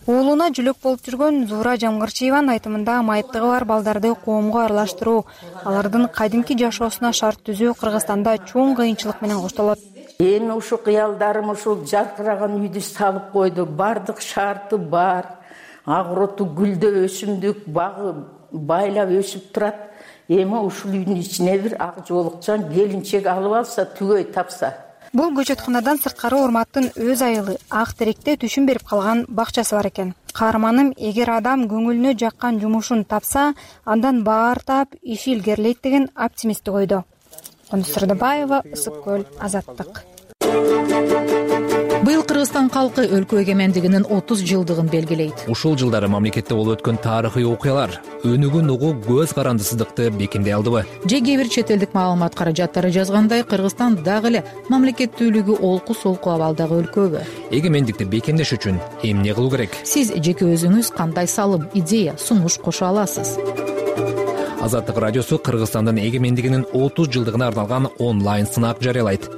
Уулуна жүлөк болуп жүргөн Зуура Жамгырчиеванын айтымында майыптыгы бар балдарды коомго аралаштыруу, алардын кадимки жашоосуна шарт түзүү Кыргызстанда чоң кыйынчылык менен коштолот. Эми ушул кыялдарым ушул жаркыраган үйдү салып койду. Бардык шарты бар. Агроту гүлдө өсүмдүк багы байлап өсүп турат. Эми ушул үйдүн ичине бир ак жоолукчан келинчек алып алса, түгөй тапса. Бул көчөтканадан сырткары Урматтын өз айылы Ак теректе түшүн берип калган бакчасы бар экен. Каарманым эгер адам көңүлүнө жаккан жумушун тапса, андан баар таап, иши илгерилейт деген оптимисттик ойдо. Кундуз Сырдыбаева, Ысык көл, Азаттык. Быйыл Кыргызстан калкы өлкө эгемендигинин 30 жылдыгын белгилейт. Ушул жылдары мамлекетте болуп өткөн тарыхый окуялар өнүгүн угуу көз карандысыздыкты бекемдей алдыбы? Же кээ бир чет элдик маалымат каражаттары жазгандай, Кыргызстан дагы эле мамлекеттүүлүгү олку-солку абалдагы өлкөбү? Эгемендикти бекемдеш үчүн эмне кылуу керек? Сиз жеке өзүңүз кандай салым, идея, сунуш кошо аласыз? Азаттык радиосу Кыргызстандын эгемендигинин 30 жылдыгына арналган онлайн сынак жарыялайт.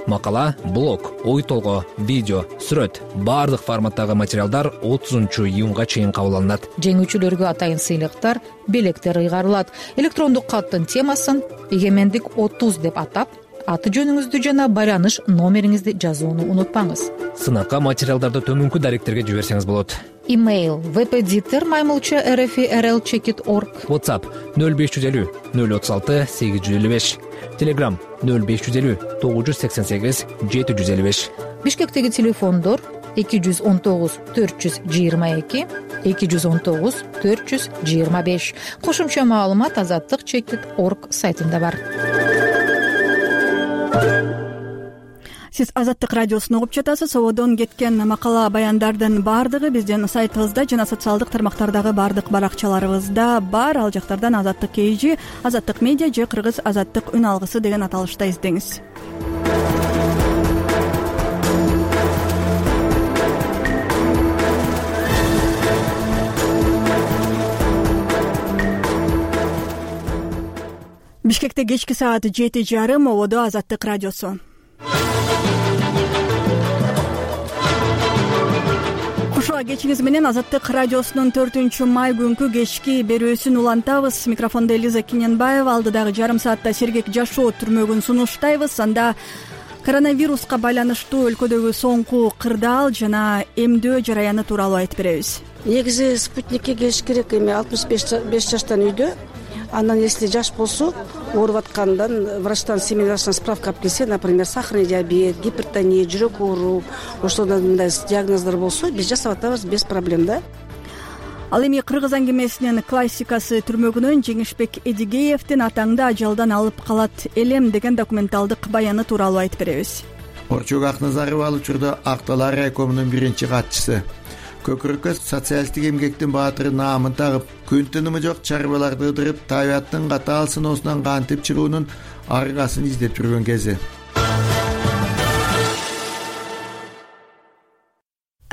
Макала, блог, ой толгоо, видео, сүрөт, баардык форматтагы материалдар 30-июнга чейин кабыл алынат. Жеңүүчүлөргө атайын сыйлыктар, белектер ыйгарылат. Электрондук каттын темасын «Эгемендик 30» деп атап, аты жөнүңүздү жана байланыш номериңизди жазууну унутпаңыз. Сынакка материалдарды төмөнкү даректерге жиберсеңиз болот. Имейл vpditer@rfi.rl.org. WhatsApp 0550 036 855. Telegram 0550 988 755. Бишкектеги телефондор 219 422 219 425. Кошумча маалымат azаттык.org сайтында бар. Сиз Азаттык радиосун угуп жатасыз. Сободон кеткен макала баяндардын баардыгы биздин сайтыбызда жана социалдык тармактардагы баардык баракчаларыбызда бар. Ал жактардан Азаттык KG, Азаттык медиа же Кыргыз Азаттык үн алгысы деген аталышта издеңиз. Бишкекте кечки саат 7:30 ободо Азаттык радиосу. Кушуа кечиңиз менен Азаттык радиосунун 4-май күнкү кечки берүүсүн улантабыз. Микрофондо Элиза Киненбаева, алдыдагы жарым саатта сергек жашоо түрмөгүн сунуштайбыз. Анда коронавируска байланыштуу өлкөдөгү соңку кырдаал жана эмдөө жараяны тууралуу айтып беребиз. Негизи спутникке келиш керек. Эми 65 жаштан үйдө. Андан если жаш болсо, ооруп аткандан врачтан семейный справка алып келсе, например, сахарный диабет, гипертония, жүрөк оору, ошондой мындай диагноздор болсо, биз жасап атабыз без проблем да. Ал эми Кыргыз аңгемесинин классикасы түрмөгүнөн Жеңишбек Эдигеевдин атаңды ажалдан алып калат элем деген документалдык баяны тууралуу айтып беребиз. Орчук Акназарова ал учурда Акталар райкомунун биринчи катчысы. Көкүрөккө социалисттик эмгектин баатыры наамын тагып, күн тынымы жок чарбаларды ыдырып, табияттын катаал сыноосунан кантип чыгуунун аргасын издеп жүргөн кези.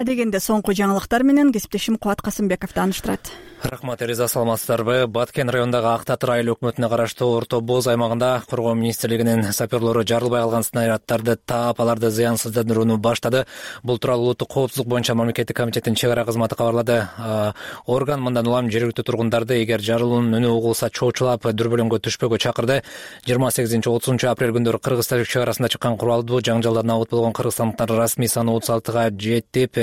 Дегенде соңку жаңылыктар менен кесиптешим Кубат Касымбеков тааныштырат. Рахмат, Элиза, саламатсыздарбы? Баткен районундагы Ак Татыр айыл өкмөтүнө караштуу Орто Боз аймагында Коргоо министрлигинин саперлору жарылбай калган снаряддарды таап, аларды зыянсыздандырууну баштады. Бул тууралуу улуттук коопсуздук боюнча мамлекеттик комитеттин чек ара кызматы кабарлады. Орган мындан улам жергиликтүү тургундарды эгер жарылуунун үнү угулса чоочулап дүрбөлөңгө түшпөккө чакырды. 28-30 апрель күндөрү Кыргыз Тажик чек арасында чыккан куралдуу жаңжалдан абут болгон кыргызстандыктардын расмий саны 36-га жетип,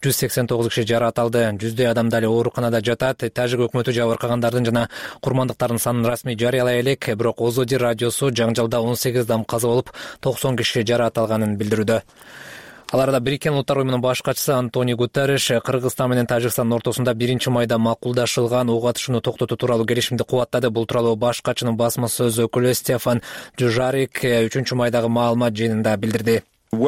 189 киши жаракат алды. Жүздөй адам дали ооруканада жатат. Тажик өкмөтү жабыркагандардын жана курмандыктардын санын расмий жарыялай элек, бирок Озоди радиосу жаңжалда 18 адам каза болуп, 90 киши жаракат алганын билдирүүдө. Ал арада Бириккен Улуттар уюмунун баш катчысы Антонио Гутерриш Кыргызстан менен Тажикстандын ортосунда 1-майда макулдашылган ок атышууну токтотуу тууралуу келишимди кубаттады. Бул тууралуу баш катчынын басма сөз өкүлү Стефан Дюжарик 3-майдагы маалымат жыйынында билдирди. Ал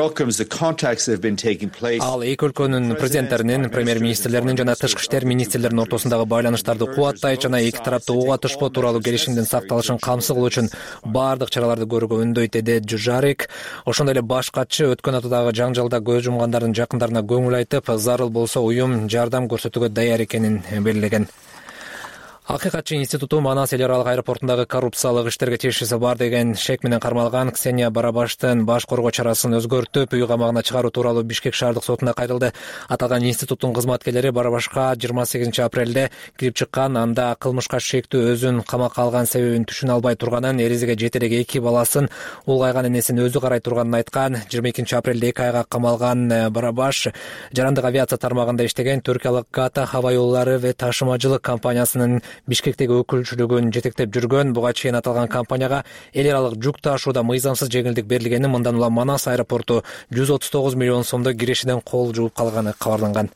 эки өлкөнүн президенттеринин, премьер-министрлеринин жана тышкы иштер министрлеринин ортосундагы байланыштарды кубаттайт жана эки тараптуу ок атышпоо тууралуу келишимдин сакталышын камсыз кылуу үчүн баардык чараларды көрүүгө үндөйт, деди Джужарик. Ошондой эле баш катчы өткөн аптадагы жаңжалда көз жумгандардын жакындарына көңүл айтып, зарыл болсо уюм жардам көрсөтүүгө даяр экенин белгилеген. Акыйкатчы институту Манас эл аралык аэропортундагы коррупциялык иштерге тиешеси бар деген шек менен кармалган Ксения Барабаштын баш коргоо чарасын өзгөртүп, үй камагына чыгаруу тууралуу Бишкек шаардык сотуна кайрылды. Аталган институттун кызматкерлери Барабашка 28 апрелде кирип чыккан, анда кылмышка шектүү өзүн камакка алган себебин түшүнө албай турганын, эрезеге жете элек 2 баласын улгайган энесин өзү карай турганын айткан. 22 апрелде 2 айга камалган Барабаш жарандык авиация тармагында иштеген, Түркиялык Гата хаба жолдору ve ташымачылык компаниясынын Бишкектеги өкүлчүлүгүн жетектеп жүргөн. Буга чейин аталган компанияга эл аралык жүк ташууда мыйзамсыз жеңилдик берилгени, мындан улам Манас аэропорту 139 миллион сомдо кирешиден кол жууп калганы кабарланган.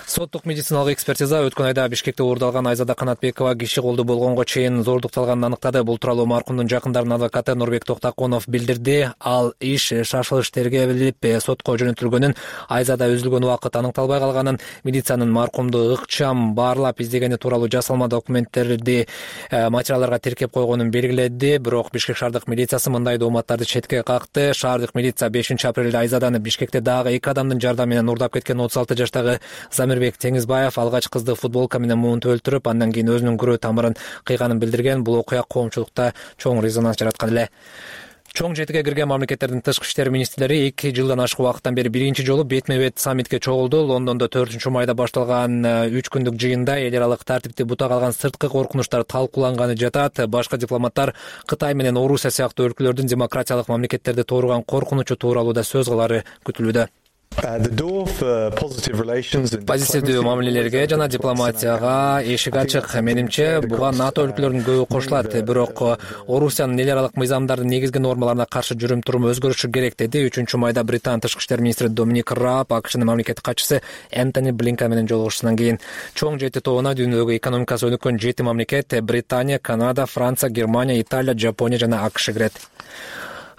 Соттук медициналык экспертиза өткөн айда Бишкекте уурдалган Айзада Канатбекова киши колду болгонго чейин зордукталганын аныктады. Бул тууралуу маркумдун жакындарынын адвокаты Нурбек Токтаконов билдирди. Ал иш шашылыш тергелип сотко жөнөтүлгөнүн, Айзада үзүлгөн убакыт аныкталбай калганын, милициянын маркумду ыкчам баарлап издегени тууралуу жасалма документтерди материалдарга тиркеп койгонун белгиледи. Бирок Бишкек шаардык милициясы мындай дооматтарды четке какты. Шаардык милиция 5 апрелде Айзаданы Бишкекте дагы 2 адамдын жардамы менен уурдап кеткен 36 жаштагы Замирбек Теңизбаев алгач кызды футболка менен муунтуп өлтүрүп, андан кийин өзүнүн күрөө тамырын кыйганын билдирген. Бул окуя коомчулукта чоң резонанс жараткан эле. Чоң жетиге кирген мамлекеттердин тышкы иштер министрлери 2 жылдан ашык убакыттан бери биринчи жолу бетме-бет саммитке чогулду. Лондондо 4-майда башталган 3 күндүк жыйында эл аралык тартипти бута калган сырткы коркунучтар талкууланганы жатат. Башка дипломаттар Кытай менен Орусия сыяктуу өлкөлөрдүн демократиялык мамлекеттерди тууруган коркунучу тууралуу да сөз кылары күтүлүүдө. Позитивдүү мамилелерге жана дипломатияга эшик ачык. Менимче буга НАТО өлкөлөрүнүн көбү кошулат. Бирок Орусиянын эл аралык мыйзамдардын негизги нормаларына каршы жүрүм-туруму өзгөрүшү керек, деди 3-майда Британ тышкы иштер министри Доминик Раб АКШнын мамлекеттик катчысы Энтони Блинкен менен жолугушуусунан кийин. Чоң жети тобуна дүйнөдөгү экономикасы өнүккөн 7 мамлекет — Британия, Канада, Франция, Германия, Италия, Жапония жана АКШ кирет.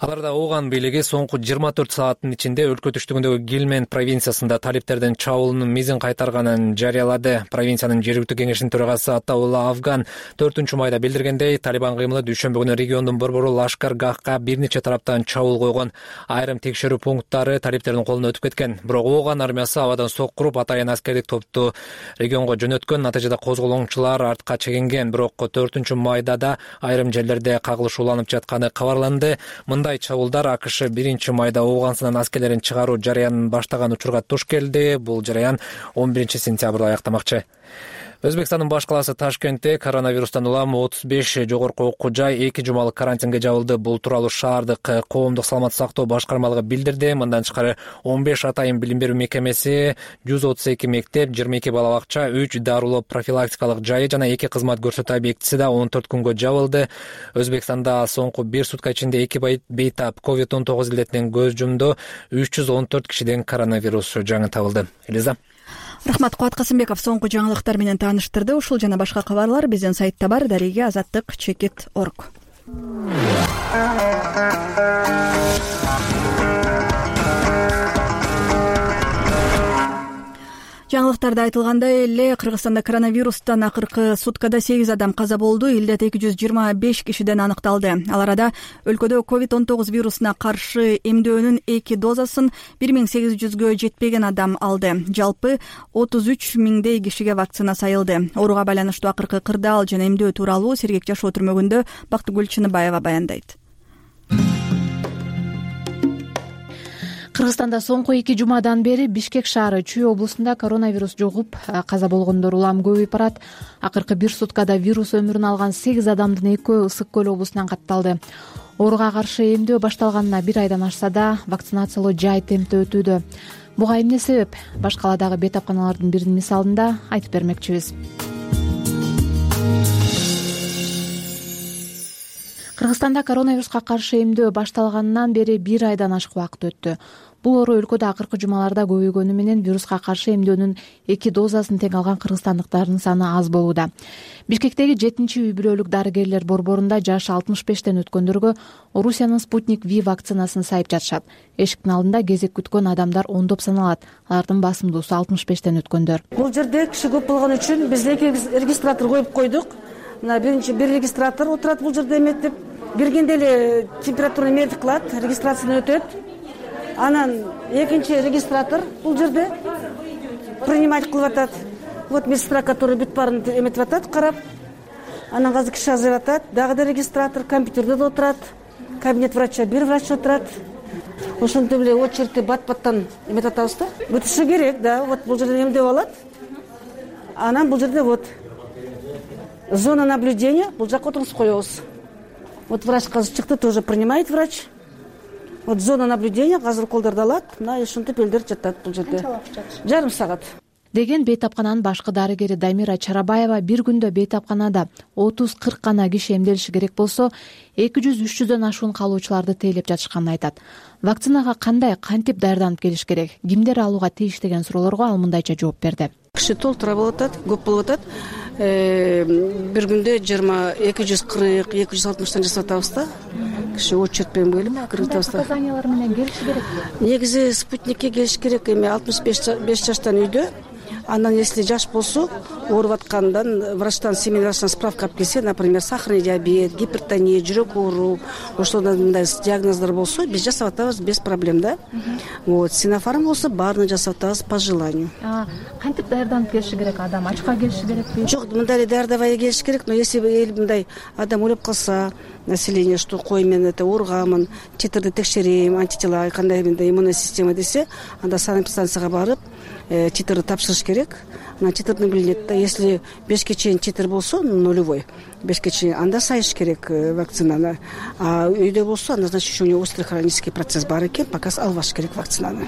Аларда Ооган бийлиги соңку 24 сааттын ичинде өлкө түштүгүндөгү Гилмен провинциясында талиптердин чабуулунун мизин кайтарганын жарыялады. Провинциянын жергиликтүү кеңешинин төрагасы Атаулла Афган 4-майда билдиргендей, Талибан кыймылы дүйшөмбү күнү региондун борбору Лашкар-Гахка бир нече тараптан чабуул койгон. Айрым текшерүү пункттары талиптердин колуна өтүп кеткен. Бирок Ооган армиясы абадан соккуруп атайын аскердик топту регионго жөнөткөн. Натыйжада козголоңчулар артка чегинген. Бирок 4-майда да айрым жерлерде кагылышууланып жатканы кабарланды. Мындай чабуулдар АКШ 1-майда Ооганстанын аскерлерин чыгаруу жарыянын баштаган учурга туш келди. Бул жарыян 11-сентябрда аяктамакчы. Өзбекстандын баш калаасы Ташкентте коронавирустан улам 35 жогорку окуу жай 2 жумалык карантинге жабылды. Бул тууралуу шаардык коомдук саламаттык сактоо башкармалыгы билдирди. Мындан тышкары 15 атайын билим берүү мекемеси, 132 мектеп, 22 бала бакча, 3 дарылоо профилактикалык жайы жана 2 кызмат көрсөтүү объектиси да 14 күнгө жабылды. Өзбекстанда соңку 1 сутка ичинде 2 бейтап COVID-19 илдетинен көз жумду. 314 кишиден коронавирус жаңы табылды. Элиза. Рахмат, Кубат Касымбеков соңку жаңылыктар менен тааныштырды. Ушул жана башка кабарлар биздин сайтта бар. Дареге azаттык.org. Жаңылыктарда айтылгандай эле Кыргызстанда коронавирустан акыркы суткада 8 адам каза болду. Илдет 225 кишиден аныкталды. Ал арада өлкөдө COVID-19 вирусуна каршы эмдөөнүн 2 дозасын 1800гө жетпеген адам алды. Жалпы 33 миңдей кишиге вакцина сайылды. Ооруга байланыштуу акыркы кырдаал жана эмдөө тууралуу Сергек Жашоо түрмөгүндө Бактыгүл Чыныбаева баяндайт. Кыргызстанда соңку 2 жумадан бери Бишкек шаары Чүй облусунда коронавирус жугуп, каза болгондор улам көбөйүп барат. Акыркы 1 суткада вирус өмүрүн алган 8 адамдын 2-өө Ысык көл облусунан катталды. Ооруга каршы эмдөө башталганына 1 айдан ашса да, вакцинациялоо жай темпте өтүүдө. Буга эмне себеп? Баш каладагы бейтапканалардын биринин мисалында айтып бермекчибиз. Кыргызстанда коронавируска каршы эмдөө башталганынан бери 1 айдан ашык убакыт өттү. Бул оору өлкөдө акыркы жумаларда көбөйгөнү менен вируска каршы эмдөөнүн 2 дозасын тең алган кыргызстандыктардын саны аз болууда. Бишкектеги 7-үй бүлөлүк дарыгерлер борборунда жашы 65тен өткөндөргө Орусиянын Спутник V вакцинасын сайып жатышат. Эшиктин алдында кезек күткөн адамдар ондоп саналат. Алардын басымдуусу 65тен өткөндөр. Бул жерде киши көп болгон үчүн биз 2 регистратор коюп койдук. Мына биринчи бир регистратор отурат бул жерде эметип, биргенде эле температураны метип кылат, регистрациядан өтөт. Анан экинчи регистратор бул жерде принимать кылып атат. Вот медсестра, которая бүт баарын эметип атат, карап. Анан азыр киши азайып атат. Дагы да регистратор компьютерде да отурат. Кабинет врача бир врач отурат. Ошентип эле очередти бат-баттан эметип атабыз да. Бүтүшү керек, да. Вот бул жерде эмдеп алат. Анан бул жерде вот зона наблюдения, бул жакка отуруп коебуз. Вот врач азыр чыкты, тоже принимает врач. Вот зона наблюдения азыр колдорду алат. Мына ушинтип элдер жатат бул жерде. Жарым саат. Деген бейтапкананын башкы дарыгери Дамира Чарабаева бир күндө бейтапканада 30-40 гана киши эмделиши керек болсо, 200-300дөн ашуун калуучуларды тейлеп жатышканын айтат. Вакцинага кандай, кантип даярданып келиш керек, кимдер алууга тийиш деген суроолорго ал мындайча жооп берди. Киши толтура болуп атат, көп болуп атат. Бир күндө 240-260тан жасап атабыз да. Киши очередь менен келип кирип атабыз да. Показаниялар менен келиш керек. Негизи Спутникке келиш керек. Эми 65 жаштан үйдө. Андан если жаш болсо, ооруп аткандан врачтан семейный справка алып келсе, например, сахарный диабет, гипертония, жүрөк оору, ошондой мындай диагноздар болсо, биз жасап атабыз без проблем, да. Вот, Синофарм болсо, баарын жасап атабыз по желанию. Кантип даярданып келиши керек адам? Ачка келиши керекпи? Жок, мындай эле даярдабай келиш керек, но если мындай адам ойлоп калса, население, что кой мен это ооругамын, титрди текшерейм, антитела кандай менде иммунная система десе, анда санэпидстанцияга барып, титрди тапшырыш керек. анан чытырдын билинет да. Если 5 чейин чытыр болсо, нулевой 5 чейин, анда сайыш керек вакцинаны. А үйдө болсо, анда значит у него острый хронический процесс бар экен, пока албаш керек вакцинаны.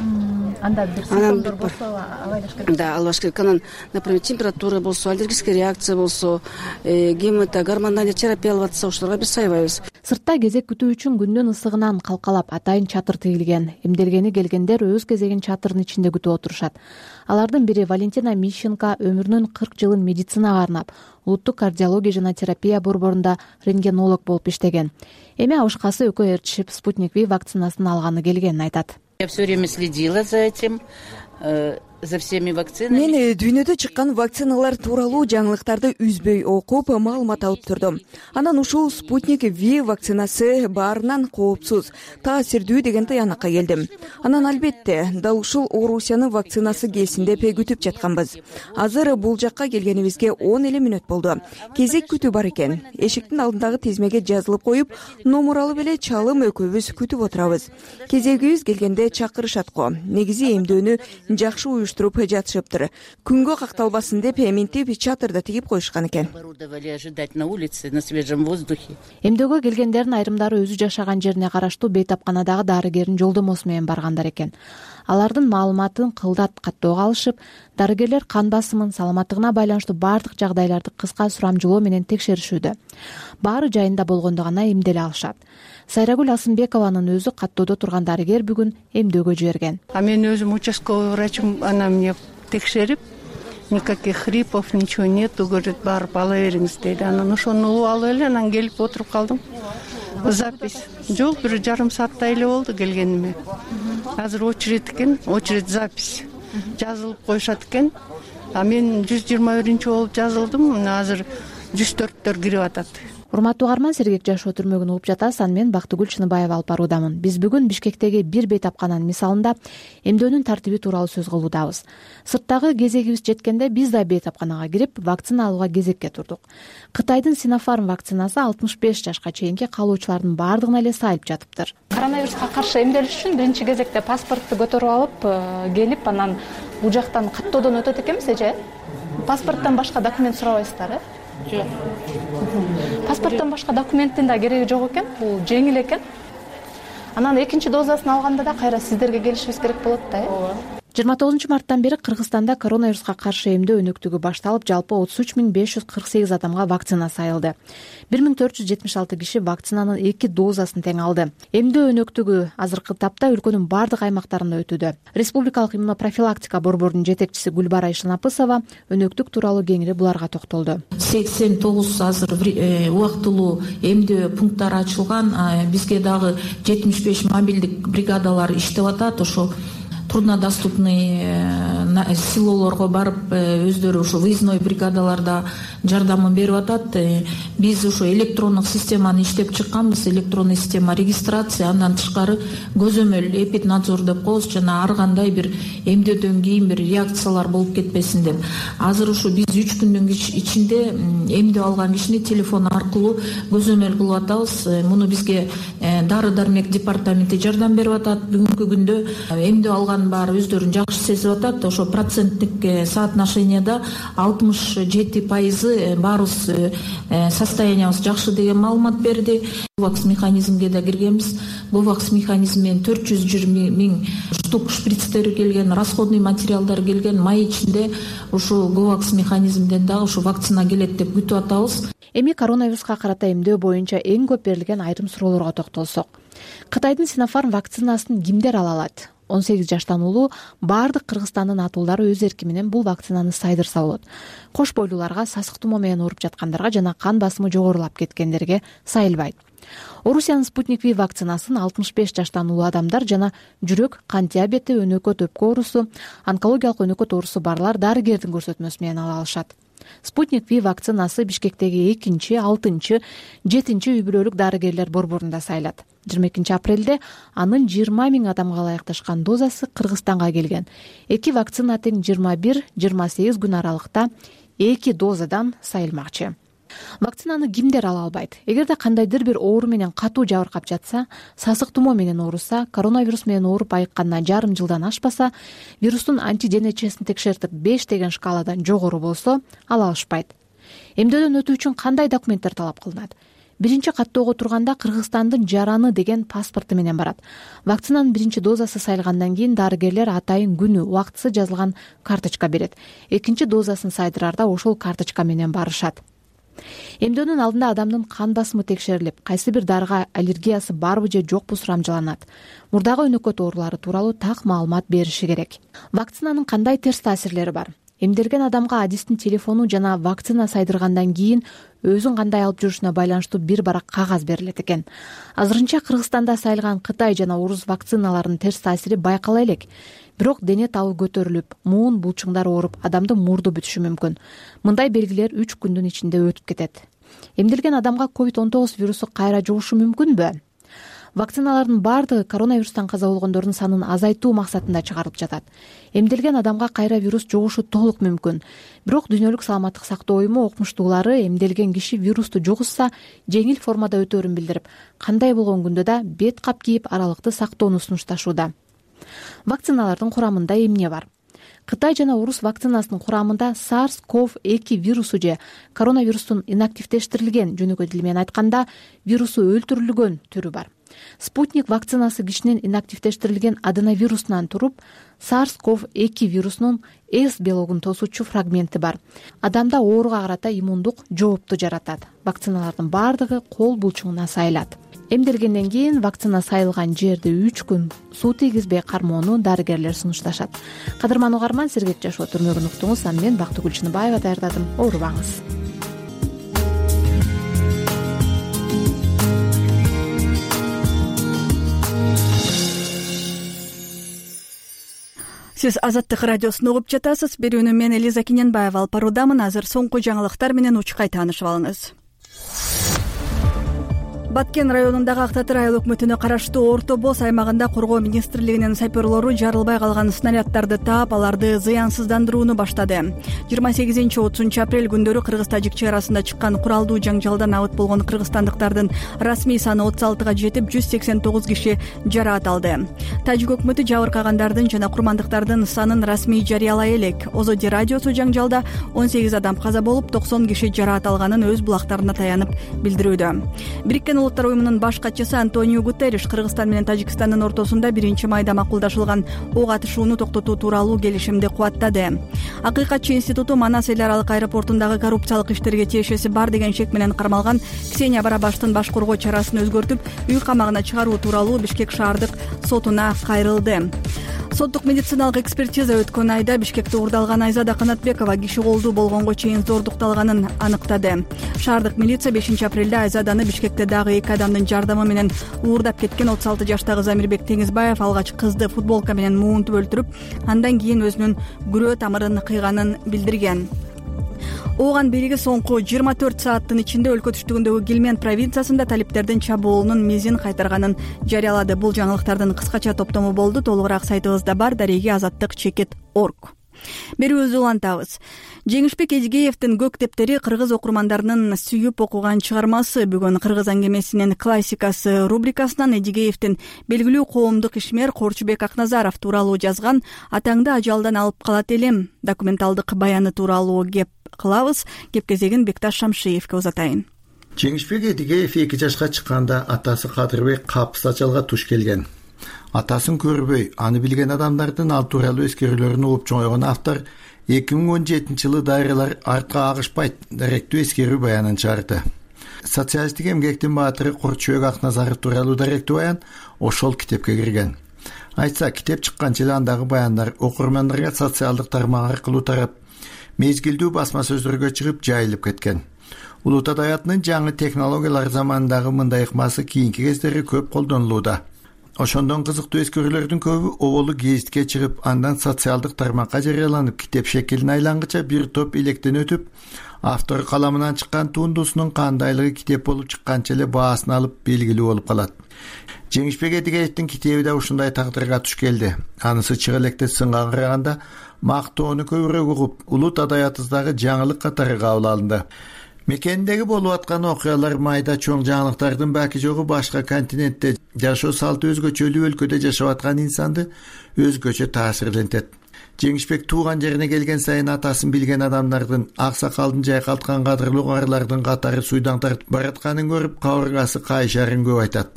Анда бир симптомдор болсо албаш керек. Да, албаш керек. Анан, например, температура болсо, аллергическая реакция болсо, гормоналдык терапия алып атса, ошолорго биз сайбайбыз. Сыртта кезек күтүү үчүн күндүн ысыгынан калкалап атайын чатыр тигилген. Эмделгени келгендер өз кезегин чатырдын ичинде күтүп отурушат. Алардын бири Валентина Мищенко өмүрүнүн 40 жылын медицинага арнап, улуттук кардиология жана терапия борборунда рентгенолог болуп иштеген. Эми абышкасы экөө ээрчишип Спутник V вакцинасын алганы келгенин айтат. Я все время следила за этим, за всеми вакцинами. Мен дүйнөдө чыккан вакциналар тууралуу жаңылыктарды үзбөй окуп, маалымат алып турдум. Анан ушул Спутник V вакцинасы баарынан коопсуз, таасирдүү деген тыянакка келдим. Анан албетте, дал ушул Орусиянын вакцинасы келсин деп күтүп жатканбыз. Азыр бул жакка келгенибизге 10 эле мүнөт болду. Кезек күтүү бар экен. Эшиктин алдындагы тизмеге жазылып коюп, номер алып эле чалым экөөбүз күтүп отурабыз. Кезегибиз келгенде чакырышат го. Негизи эмдөөнү жакшы уюштуруп жатышыптыр. Күнгө какталбасын деп минтип чатырда тигип коюшкан экен. Эмдөөгө келгендердин айрымдары өзү жашаган жерине караштуу бейтапканадагы дарыгердин жолдомосу менен баргандар экен. Алардын маалыматын кылдат каттоого алышып, дарыгерлер кан басымын, саламаттыгына байланыштуу бардык жагдайларды кыска сурамжылоо менен текшеришүүдө. Баары жайында болгондо гана эмделе алышат. Сайрагүл Асынбекованын өзү каттоодо турган дарыгер бүгүн эмдөөгө жиберген. Мен өзүм участковый врачым, она мне текшерип, никаких хрипов, ничего нету, говорит, барып ала бериңиз дейт. Анан ошону улуп алып эле анан келип отуруп калдым. Запись. Жок, бир жарым сааттай эле болду келгениме. Азыр очередь экен, очередь запись. Жазылып коюшат экен. А мен 121 болуп жазылдым. Азыр 104төр кирип атат. Урматтуу угарман, сергек жашоо түрмөгүн угуп жатасыз. Аны мен Бактыгүл Чыныбаева алып баруудамын. Биз бүгүн Бишкектеги бир бейтапкананын мисалында эмдөөнүн тартиби тууралуу сөз кылуудабыз. Сырттагы кезегибиз жеткенде биз да бейтапканага кирип, вакцина алууга кезекке турдук. Кытайдын Sinopharm вакцинасы 65 жашка чейинки калуучулардын бардыгына эле сайылып жатыптыр. Коронавируска каршы эмделиш үчүн биринчи кезекте паспортты көтөрүп алып, келип, анан бул жактан каттоодон өтөт экенбиз, эже? Паспорттон башка документ сурабайсыздар, Жок. Паспорттон башка документтин да кереги жок экен, бул жеңил экен. Анан экинчи дозасын алганда да кайра сиздерге келишибиз керек болот да, э? 29 марттан бери Кыргызстанда коронавируска каршы эмдөө өнөктүгү башталып, жалпы 33 548 адамга вакцина сайылды. 1476 киши вакцинанын 2 дозасын тең алды. Эмдөө өнөктүгү азыркы тапта өлкөнүн бардык аймактарында өтүүдө. Республикалык иммунопрофилактика борборунун жетекчиси Гүлбара Ишнапысова өнөктүк тууралуу кеңири буларга токтолду. 89 азыр убактылуу эмдөө пункттары ачылган, бизге дагы 75 мобилдик бригадалар иштеп атат. Ошо труднодоступный селолорго барып, өздөрү ушу выездной бригадаларда жардамын берип атат. Биз ушу электрондук системаны иштеп чыкканбыз, электронный система регистрация, андан тышкары көзөмөл эпиднадзор деп коебуз, жана ар кандай бир эмдөөдөн кийин бир реакциялар болуп кетпесин деп. Азыр ушу биз 3 күндүн ичинде эмдөө алган кишини телефон аркылуу көзөмөл кылып атабыз. Муну бизге дары дармек департаменти жардам берип атат. Бүгүнкү күндө эмдөө алган баары өздөрүн жакшы сезип атат. Ошо проценттик соотношенияда 67% баарыбыз состояниябыз жакшы деген маалымат берди. Говакс механизмге да киргенбиз. Говакс механизм менен 420 000 штук шприцтери келген, расходный материалдар келген. Май ичинде ушу Говакс механизмден дагы ушу вакцина келет деп күтүп атабыз. Эми коронавируска карата эмдөө боюнча эң көп берилген айрым суроолорго токтолсок. Кытайдын Sinopharm вакцинасын кимдер ала алат? 18 жаштан улуу бардык Кыргызстандын атуулдары өз эрки менен бул вакцинаны сайдырса болот. Кош бойлууларга, сасык тумоо менен ооруп жаткандарга жана кан басымы жогорулап кеткендерге сайылбайт. Орусиянын Спутник V вакцинасын 65 жаштан улуу адамдар жана жүрөк, кан диабети, өнөкөт өпкө оорусу, онкологиялык өнөкөт оорусу барлар дарыгердин көрсөтмөсү менен ала алышат. Спутник V вакцинасы Бишкектеги 2-6, 7 үй бүлөлүк дарыгерлер борборунда сайылат. 22 апрелде анын 20 000 адамга ылайыкташкан дозасы Кыргызстанга келген. Эки вакцина тең 21-28 күн аралыкта 2 дозадан сайылмакчы. Вакцинаны кимдер ала албайт? Эгерде кандайдыр бир оору менен катуу жабыркап жатса, сасык тумоо менен ооруса, коронавирус менен ооруп айыкканына жарым жылдан ашпаса, вирустун антиденечесин текшертип 5 деген шкаладан жогору болсо, ала алышпайт. Эмдөөдөн өтүү үчүн кандай документтер талап кылынат? Биринчи каттоого турганда Кыргызстандын жараны деген паспорту менен барат. Вакцинанын биринчи дозасы сайылгандан кийин дарыгерлер атайын күнү, убактысы жазылган карточка берет. Экинчи дозасын сайдырарда ошол карточка менен барышат. Эмдөөнүн алдында адамдын кан басымы текшерилип, кайсы бир дарыга аллергиясы барбы же жокпу сурамжыланат. Мурдагы өнөкөт оорулары тууралуу так маалымат бериши керек. Вакцинанын кандай терс таасирлери бар? Эмделген адамга адистин телефону жана вакцина сайдыргандан кийин өзүн кандай алып жүрүшүнө байланыштуу бир барак кагаз берилет экен. Азырынча Кыргызстанда сайылган Кытай жана Орус вакциналарынын терс таасири байкала элек. Бирок дене табы көтөрүлүп, муун булчуңдар ооруп, адамдын мурду бүтүшү мүмкүн. Мындай белгилер 3 күндүн ичинде өтүп кетет. Эмделген адамга COVID-19 вирусу кайра жугушу мүмкүнбү? Вакциналардын баардыгы коронавирустан каза болгондордун санын азайтуу максатында чыгарылып жатат. Эмделген адамга кайра вирус жугушу толук мүмкүн. Бирок Дүйнөлүк саламаттык сактоо уюму окумуштуулары эмделген киши вирусту жугузса, жеңил формада өтөөрүн билдирип, кандай болгон күндө да бет кап кийип аралыкты сактоону сунушташууда. Вакциналардын курамында эмне бар? Кытай жана Орус вакцинасынын курамында SARS-CoV-2 вирусу же коронавирустун инактивдештирилген, жөнөкөй тил менен айтканда, вирусу өлтүрүлгөн түрү бар. Спутник вакцинасы кишинин инактивдештирилген аденовирусунан туруп, SARS-CoV-2 вирусунун S белогун тосуучу фрагменти бар. Адамда ооруга карата иммундук жоопту жаратат. Вакциналардын баардыгы кол булчуңуна сайылат. Эмделгенден кийин вакцина сайылган жерди 3 күн суу тийгизбей кармоону дарыгерлер сунушташат. Кадырман угарман, сергек жашоо түрмөгүн уктуңуз. Мен Бактыгүл Чыныбаева даярдадым. Оорубаңыз. Сиз Азаттык радиосун угуп жатасыз. Берүүнү мен Элиза Кененбаева алып баруудамын. Азыр соңку жаңылыктар менен учкай таанышып алыңыз. Баткен районундагы Ак Татыр айыл өкмөтүнө караштуу Орто Боз аймагында Коргоо министрлигинин саперлору жарылбай калган снаряддарды таап, аларды зыянсыздандырууну баштады. 28-30 апрель күндөрү Кыргыз-Тажик чек арасында чыккан куралдуу жаңжалдан абыт болгон кыргызстандыктардын расмий саны 36-га жетип, 189 киши жараат алды. Тажик өкмөтү жабыркагандардын жана курмандыктардын санын расмий жарыялай элек. Озоди радиосу жаңжалда 18 адам каза болуп, 90 киши жараат алганын өз булактарына таянып билдирүүдө. Бириккен Улуттар уюмунун баш катчысы Антонио Гутерриш Кыргызстан менен Тажикстандын ортосунда 1 майда макулдашылган ок атышууну токтотуу тууралуу келишимди кубаттады. Акыйкатчы институту Манас эл аралык аэропортундагы коррупциялык иштерге тиешеси бар деген шек менен кармалган Ксения Барабаштын баш коргоо чарасын өзгөртүп, үй камагына чыгаруу тууралуу Бишкек шаардык сотуна кайрылды. Соттук медициналык экспертиза өткөн айда Бишкекте уурдалган Айзада Канатбекова киши колдуу болгонго чейин зордукталганын аныктады. Шаардык милиция 5 апрелде Айзаданы Бишкекте дагы 2 адамдын жардамы менен уурдап кеткен 36 жаштагы Замирбек Теңизбаев алгач кызды футболка менен муунтуп өлтүрүп, андан кийин өзүнүн күрөө тамырын кыйганын билдирген. Ооган бийлиги соңку 24 сааттын ичинде өлкө түштүгүндөгү Гилмен провинциясында талиптердин чабуулунун мизин кайтарганын жарыялады. Бул жаңылыктардын кыскача топтому болду. Толугураак сайтыбызда бар darigi-azаттыk.org. Берүүбүздү улантабыз. Жеңишбек Эжигеевдин Көк тептери кыргыз окурмандарынын сүйүп окуган чыгармасы. Бүгүн Кыргыз аңгемесинин классикасы рубрикасынан Эжигеевдин белгилүү коомдук ишмер Корчубек Акназаров тууралуу жазган "Атаңды ажалдан алып калат элем" документалдык баяны тууралуу кеп кылабыз. Кеп кезегин Бекташ Шамшиевке узатайын. Жеңишбек Эжигеев 2 жашка чыкканда атасы Кадырбек Капыс ажалга туш келген. Атасын көрбөй, аны билген адамдардын ал тууралуу эскерүүлөрүн угуп чоңойгон автор 2017-жылы дайралар артка агышпайт даректүү эскерүү баянын чыгарды. Социалисттик эмгектин баатыры Корчубек Акназаров тууралуу даректүү баян ошол китепке кирген. Айтса, китеп чыкканча эле андагы баяндар окурмандарга социалдык тармак аркылуу тарап, мезгилдүү басма сөздөргө чыгып жайылып кеткен. Улут адаятынын жаңы технологиялар заманындагы мындай ыкмасы кийинки кездери көп колдонулууда. Ошондон кызыктуу эскерүүлөрдүн көбү оболу гезитке чыгып, андан социалдык тармакка жарыяланып, китеп шекилине айлангыча бир топ илектен өтүп, автор каламынан чыккан тундусунун кандайлыгы китеп болуп чыкканча эле баасын алып белгилүү болуп калат. Жеңишбек Эжигеевдин китеби да ушундай тагдырга туш келди. Анысы чыга электе сынга караганда мактоону көбүрөөк угуп, улут адаятыбыздагы жаңылык катары кабыл алынды. Мекендеги болуп аткан окуялар майда чоң жаңылыктардын баки жогу башка континентте жашоо салты өзгөчөлүү өлкөдө жашап аткан инсанды өзгөчө таасирлентет. Жеңишбек тууган жерине келген сайын атасын билген адамдардын, аксакалдын жайкалткан кадырлуу каарылардын катары суйдан тартып баратканын көрүп кабыргасы кайшарын көп айтат.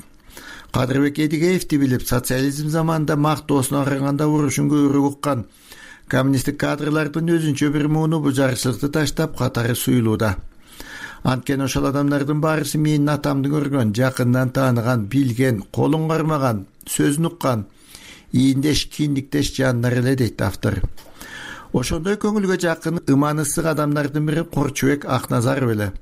Кадырбек Эдигеевди билип, социализм заманында мактоосуна караганда урушун көбүрөөк уккан коммунисттик кадрлардын өзүнчө бир мууну бул жарычылыкты таштап катары суюлууда. Анткени ошол адамдардын баарысы менин атамды көргөн, жакындан тааныган, билген, колун кармаган, сөзүн уккан, ийиндеш, киндиктеш жандар эле дейт автор. Ошондой көңүлгө жакын, ыман ысык адамдардын бири Корчубек Акназаров эле.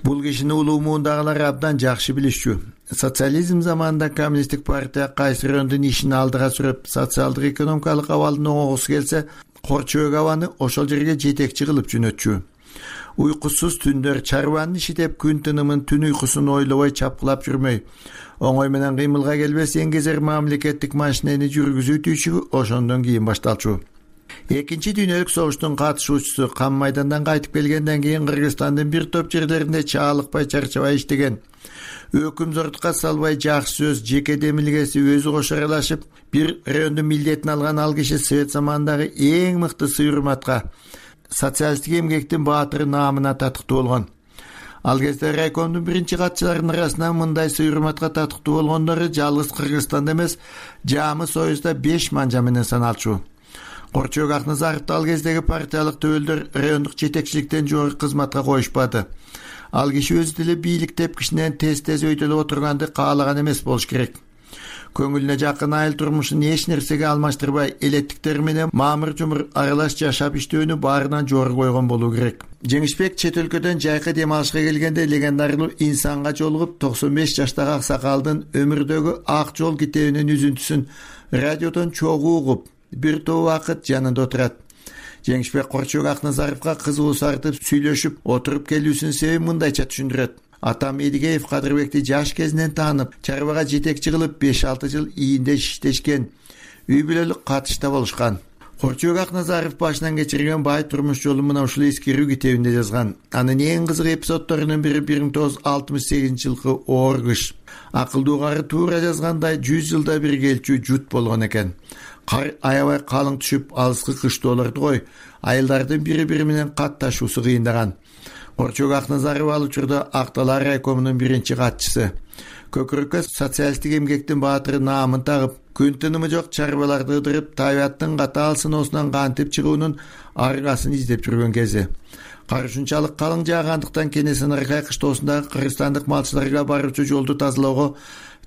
Бул кишини улуу муундагылар абдан жакшы билишчү. Социализм заманында коммунисттик партия кайсы райондун ишин алдыга сүрөп, социалдык экономикалык абалдын оңогусу келсе, Корчубек абаны ошол жерге жетекчи кылып жөнөтчү. Уйкусуз түндөр чарбанын иши деп күн тынымын, түн уйкусун ойлобой чапкылап жүрмөй, оңой менен кыймылга келбес эңгезер мамлекеттик машинени жүргүзүү түйчүгү ошондон кийин башталчу. Экинчи дүйнөлүк согуштун катышуучусу, Кам майдандан кайтып келгенден кийин Кыргызстандын бир топ жерлеринде чаалыкпай, чарчабай иштеген, өкүмзортукка салбай жакшы сөз, жеке демилгеси өзү кошо аралашып, бир райондун милдетин алган ал киши Совет заманындагы эң мыкты сый-урматка, социалисттик эмгектин баатыры наамына татыктуу болгон. Ал кезде райкомдун биринчи катчыларынын арасынан мындай сый-урматка татыктуу болгондору жалгыз Кыргызстанда эмес, Жамы Союзда 5 манжа менен саналчу. Корчубек Акназаровду ал кездеги партиялык төбөлдөр райондук жетекчиликтен жогорку кызматка коюшпады. Ал киши өзү деле бийлик тепкичинен тез өйдөлүп отурганды каалаган эмес болуш керек. Көңүлүнө жакын айыл турмушун эч нерсеге алмаштырбай, элеттиктер менен маамыр-жумур аралаш жашап иштөөнү баарынан жогору койгон болуу керек. Жеңишбек чет өлкөдөн жайкы дем алышка келгенде легендарлуу инсанга жолугуп 95 жаштагы аксакалдын өмүрдөгү ак жол китебинин үзүнтүсүн радиодон чогуу угуп, бир топ убакыт жанында отурат. Жеңишбек Корчубек Акназаровго кызыгуу сартып сүйлөшүп отуруп келүүсүнүн себебин мындайча түшүндүрөт. Атам Эдигеев Кадырбекти жаш кезинен таанып, чарбага жетекчи кылып 5-6 жыл ийиндеш иштешкен, үй бүлөлүк катышта болушкан. Корчубек Акназаров башынан кечирген бай турмуш жолун мына ушул эскирүү китебинде жазган. Анын эң кызык эпизоддорунун бири 1968-жылкы оор кыш. Акылдуу кары туура жазгандай 100 жылда бир келчү жут болгон экен. Кар аябай калың түшүп, алыскы кыштоолорду кой, айылдардын бири-бири менен катташуусу кыйындаган. Корчубек Акназаров ал учурда Акталар райкомунун биринчи катчысы. Көкүрөккө социалисттик эмгектин баатыры наамын тагып, күн тынымы жок чарбаларды ыдырып, табиаттын катаал сыноосунан кантип чыгуунун аргасын издеп жүргөн кези. Кар ушунчалык калың жаагандыктан Кенесары кыштоосундагы кыргызстандык малчыларга баруучу жолду тазалоого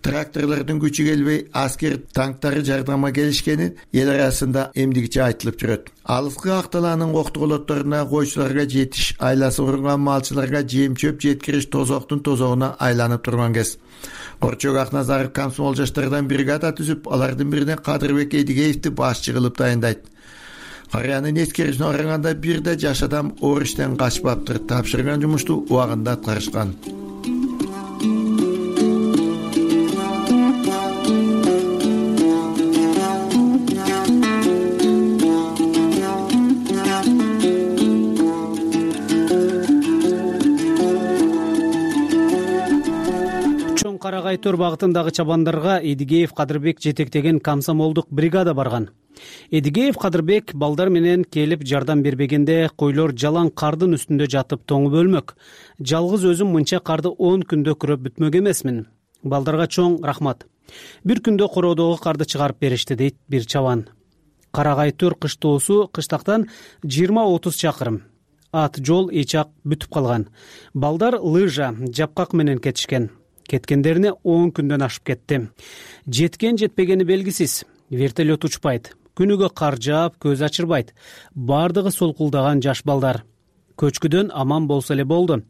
тракторлордун күчү келбей, аскер танктары жардамга келишкени эл арасында эмдигиче айтылып жүрөт. Алыскы Акталаанын коктуголотторуна койчуларга жетиш, айласы курунган малчыларга жем-чөп жеткириш тозоктун тозогуна айланып турган кез. Корчубек Акназаров комсомол жаштардан бригада түзүп, алардын бирине Кадырбек Эдигеевди башчы кылып дайындайт. Карыянын эскерүүсүнө караганда бир да жаш адам оор иштен качпаптыр, тапшырган жумушту убагында аткарышкан. Карагайтор багытындагы чабандарга Эдигеев Кадырбек жетектеген комсомолдук бригада барган. Эдигеев Кадырбек балдар менен келип жардам бербегенде койлор жалаң кардын үстүндө жатып тоңуп өлмөк. Жалгыз өзүм мынча карды 10 күндө күрөп бүтмөк эмесмин. Балдарга чоң рахмат. Бир күндө короодогу карды чыгарып беришти, дейт бир чабан. Карагайтор кыштоосу кыштактан 20-30 чакырым. Ат жол эчак бүтүп калган. Балдар лыжа, жапкак менен кетишкен. Кеткендерине 10 күндөн ашып кетти. Жеткен жетпегени белгисиз. Вертолет учпайт. Күнүгө кар жаап, көз ачырбайт. Бардыгы солкулдаган жаш балдар. Көчкүдөн аман болсо эле болду.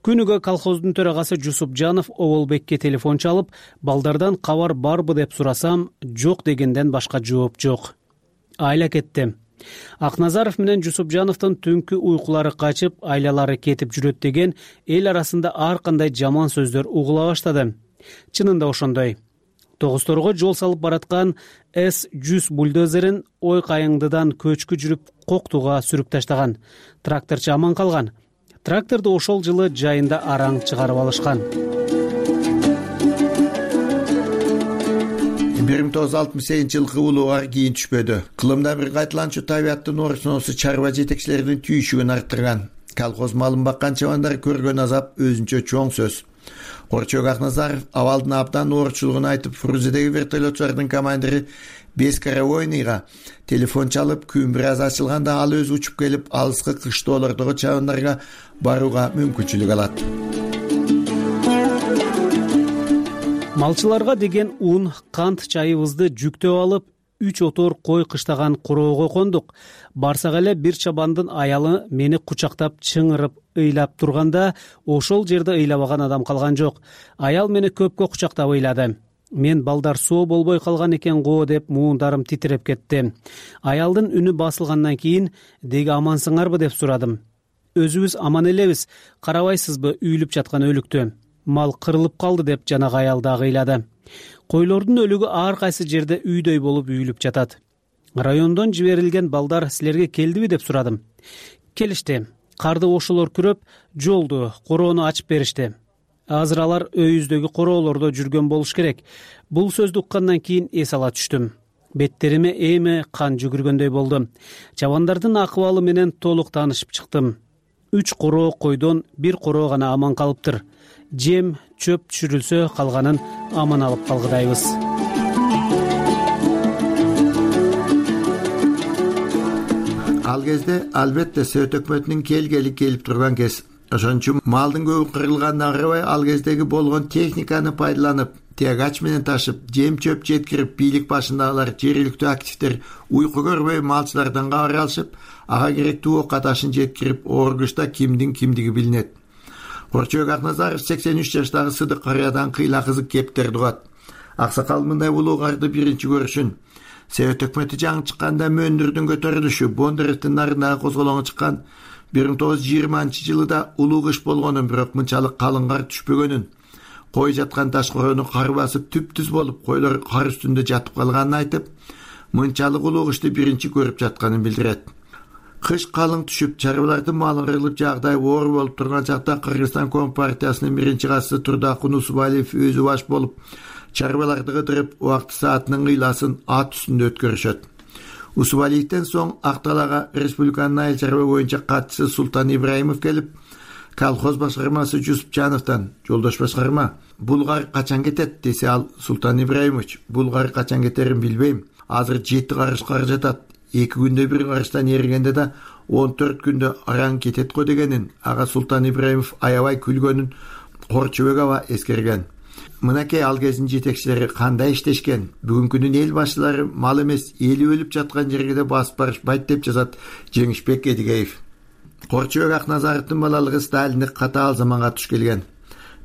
Күнүгө колхоздун төрагасы Жусупжанов Оболбекке телефон чалып, балдардан кабар барбы деп сурасам, жок дегенден башка жооп жок. Айла кетти. Акназаров менен Жусупжановдун түнкү уйкулары качып, айлалары кетип жүрөт деген эл арасында ар кандай жаман сөздөр угула баштады. Чынында ошондой. Тогусторго жол салып бараткан С-100 бульдозерин ой кайыңдыдан көчкү жүрүп коктуга сүрүп таштаган. Тракторчу аман калган. Тракторду ошол жылы жайында араң чыгарып алышкан. 1968 улууга кийин түшпөдү. Кылымда бир кайталанчу табияттын орусунусу чарба жетекчилеринин түйшүгүн арттырган. Колхоз малын баккан чабандар көргөн азап өзүнчө чоң сөз. Корчок Акназаров абалдын абдан оорчулугун айтып, Фрузедеги вертолетчулардын командири Бескаровойныйга телефон чалып, күн бир аз ачылганда ал өзү учуп келип, алыскы кыштоолордогу чабандарга барууга мүмкүнчүлүк алат. Малчыларга деген ун, кант чайыбызды жүктөп алып, 3 отор кой кыштаган куроого кондук. Барсак эле бир чабандын аялы мени кучактап чыңырып ыйлап турганда, ошол жерде ыйлабаган адам калган жок. Аял мени көпкө кучактап ыйлады. Мен балдар соо болбой калган экен го деп муундарым титиреп кетти. Аялдын үнү басылгандан кийин деги амансыңарбы деп сурадым. Өзүбүз аман элебиз, карабайсызбы үйлүп жаткан өлүктү. Мал кырылып калды деп жанагы аял дагы ыйлады. Койлордун өлүгү ар кайсы жерде үйдөй болуп үйүлүп жатат. Райондон жиберилген балдар силерге келдиби деп сурадым. Келишти. Карды ошолор күрөп, жолду, короону ачып беришти. Азыр алар өйүздөгү короолордо жүргөн болуш керек. Бул сөздү уккандан кийин эс ала түштүм. Беттериме эми кан жүгүргөндөй болду. Чабандардын акыбалы менен толук таанышып чыктым. 3 короо койдон 1 короо гана аман калыптыр. Жем, чөп түшүрүлсө, калганын аман алып калгыдайбыз. Ал кезде албетте Совет өкмөтүнүн келгели келип турган кез. Ошон үчүн малдын көбү кырылганына карабай, ал кездеги болгон техниканы пайдаланып, тягач менен ташып, жем чөп жеткирип, бийлик башындагылар, жергиликтүү активдер уйку көрбөй малчылардан кабар алышып, ага керектүү ока ташын жеткирип, оргушта кимдин кимдиги билинет. Корчок Акназаров 83 жаштагы Сыдык Карыядан кыйла кызык кептерди угат. Аксакал мындай улуугарды биринчи көрүшүн. Совет өкмөтү жаңы чыкканда Мөндүрдүн көтөрүлүшү, Бондаревдин нарындагы козголоңу чыккан 1920-жылыда улуу кыш болгонун, бирок мынчалык калың кар түшпөгөнүн, кой жаткан таш короону кар басып түп-түз болуп, койлор кар үстүндө жатып калганын айтып, мынчалык улуу кышты биринчи көрүп жатканын билдирет. Кыш калың түшүп, чарбалардын малы кырылып, жагдай оор болуп турган чакта Кыргызстан Компартиясынын биринчи катчысы Турдакун Усубалиев өзү баш болуп, чарбаларды кыдырып, убакыт саатынын кыйласын ат үстүндө өткөрүшөт. Усубалиевден соң Акталага республиканын айыл чарба боюнча катчысы Султан Ибраимов келип, колхоз башкармасы Жусупжановдон: "Жолдош башкарма, бул кар качан кетет?" десе, ал: "Султан Ибраимович, бул кар качан кетерин билбейм. Азыр 7 карыш кар жатат. 2 күндө бир карыштан эригенде да 14 күндө араң кетет го" дегенин ага Султан Ибраимов аябай күлгөнүн Корчобек аба эскерген. Мынакей ал кездин жетекчилери кандай иштешкен. Бүгүнкүнүн эл башчылары мал эмес, эли өлүп жаткан жерге да басып барышпайт деп жазат Жеңишбек Эдигеев. Корчобек Акназаровдун балалыгы Сталиндик катаал заманга туш келген.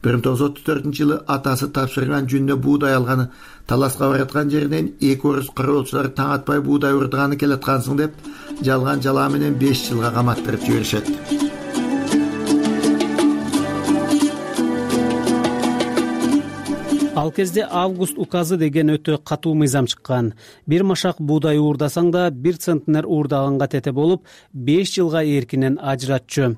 1934-жылы атасы тапшырган жөнүнө буудай алганы, таласка бараткан жеринен 2 орус кароолчулар таң атпай буудай урдаганы келаткансың деп, жалган жалаа менен 5 жылга каматтырып жиберишет. Ал кезде август указы деген өтө катуу мыйзам чыккан. Бир машак буудай уурдасаң да 1 центнер уурдаганга тете болуп, 5 жылга эркинен ажыратчу.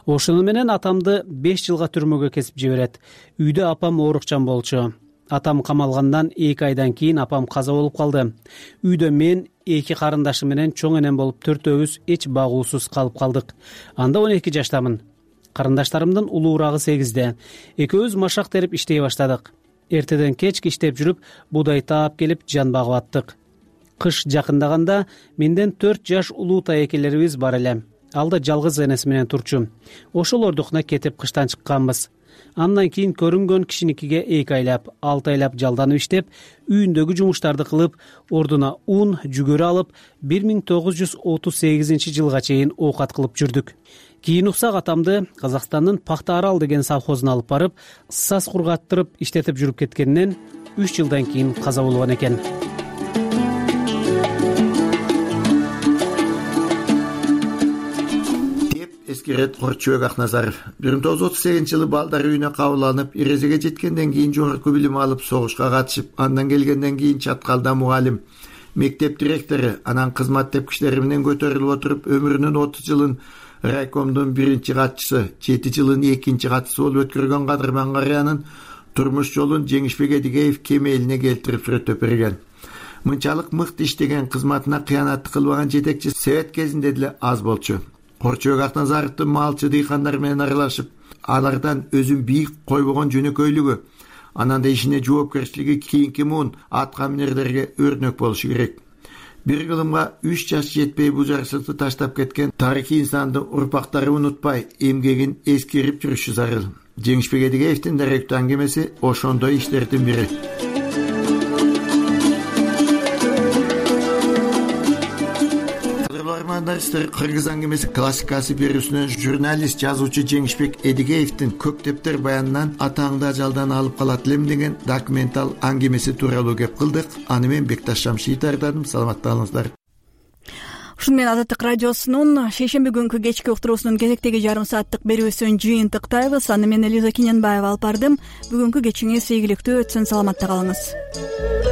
Ошону менен атамды 5 жылга түрмөгө кесип жиберет. Үйдө апам оорукчан болчу. Атам камалгандан 2 айдан кийин апам каза болуп калды. Үйдө мен 2 карындашым менен чоң энем болуп 4-өөбүз эч багуусуз калып калдык. Анда 12 жаштамын. Карындаштарымдын улуурагы 8-де. Экөөбүз машак терип иштей баштадык. Эртеден кечке иштеп жүрүп, буудай таап келип жан багып аттык. Кыш жакындаганда менден 4 жаш улуу таекелерибиз бар эле. Ал да жалгыз энеси менен турчу. Ошолордукуна кетип кыштан чыкканбыз. Андан кийин көрүнгөн кишиникиге 2 айлап, 6 айлап жалданып иштеп, үйүндөгү жумуштарды кылып, ордуна ун, жүгөрү алып, 1938-жылга чейин оокат кылып жүрдүк. Кийин уксак атамды Казакстандын Пахта Арал деген совхозуна алып барып, саз кургаттырып иштетип жүрүп кеткенинен 3 жылдан кийин каза болгон экен. Деп эскерет Корчобек Акназаров. 1938-жылы балдар үйүнө кабыл алынып, эрезеге жеткенден кийин жогорку билим алып, согушка катышып, андан келгенден кийин Чаткалда мугалим, мектеп директору, анан кызмат тепкичтери менен көтөрүлүп отуруп, өмүрүнүн 30 жылын райкомдун биринчи катчысы, 7 жылын экинчи катчысы болуп өткөргөн Кадырман Карыянын турмуш жолун Жеңишбек Эдигеев кемелине келтирип сүрөттөп берген. Мынчалык мыкты иштеген, кызматына кыянат кылбаган жетекчи Совет кезинде деле аз болчу. Орчобек Акназаровдун малчы дыйкандар менен аралашып, алардан өзүн бийик койбогон жөнөкөйлүгү, анан да ишине жоопкерчилиги кийинки муун аткаминерлерге өрнөк болушу керек. Бир кылымга 3 жаш жетпей бул жарчылыкты таштап кеткен тарыхый инсандын урпактары унутпай, эмгегин эскерип жүрүшү зарыл. Жеңишбек Эдигеевдин даректүү аңгемеси ошондой иштердин бири. Кыргыз аңгемеси классикасы берүүсүнөн журналист, жазуучу Жеңишбек Эдигеевдин көктептер баянынан атаңды ажалдан алып калат элем деген документал аңгемеси тууралуу кеп кылдык. Аны мен Бекташ Шамшиев даярдадым. Саламатта болуңуздар. Ушуну менен Азаттык радиосунун шейшемби күнкү кечки уктуруусунун кезектеги жарым сааттык берүүсүн жыйынтыктайбыз. Аны мен Элиза Киненбаева алып бардым. Бүгүнкү кечиңиз ийгиликтүү өтсүн. Саламатта калыңыз.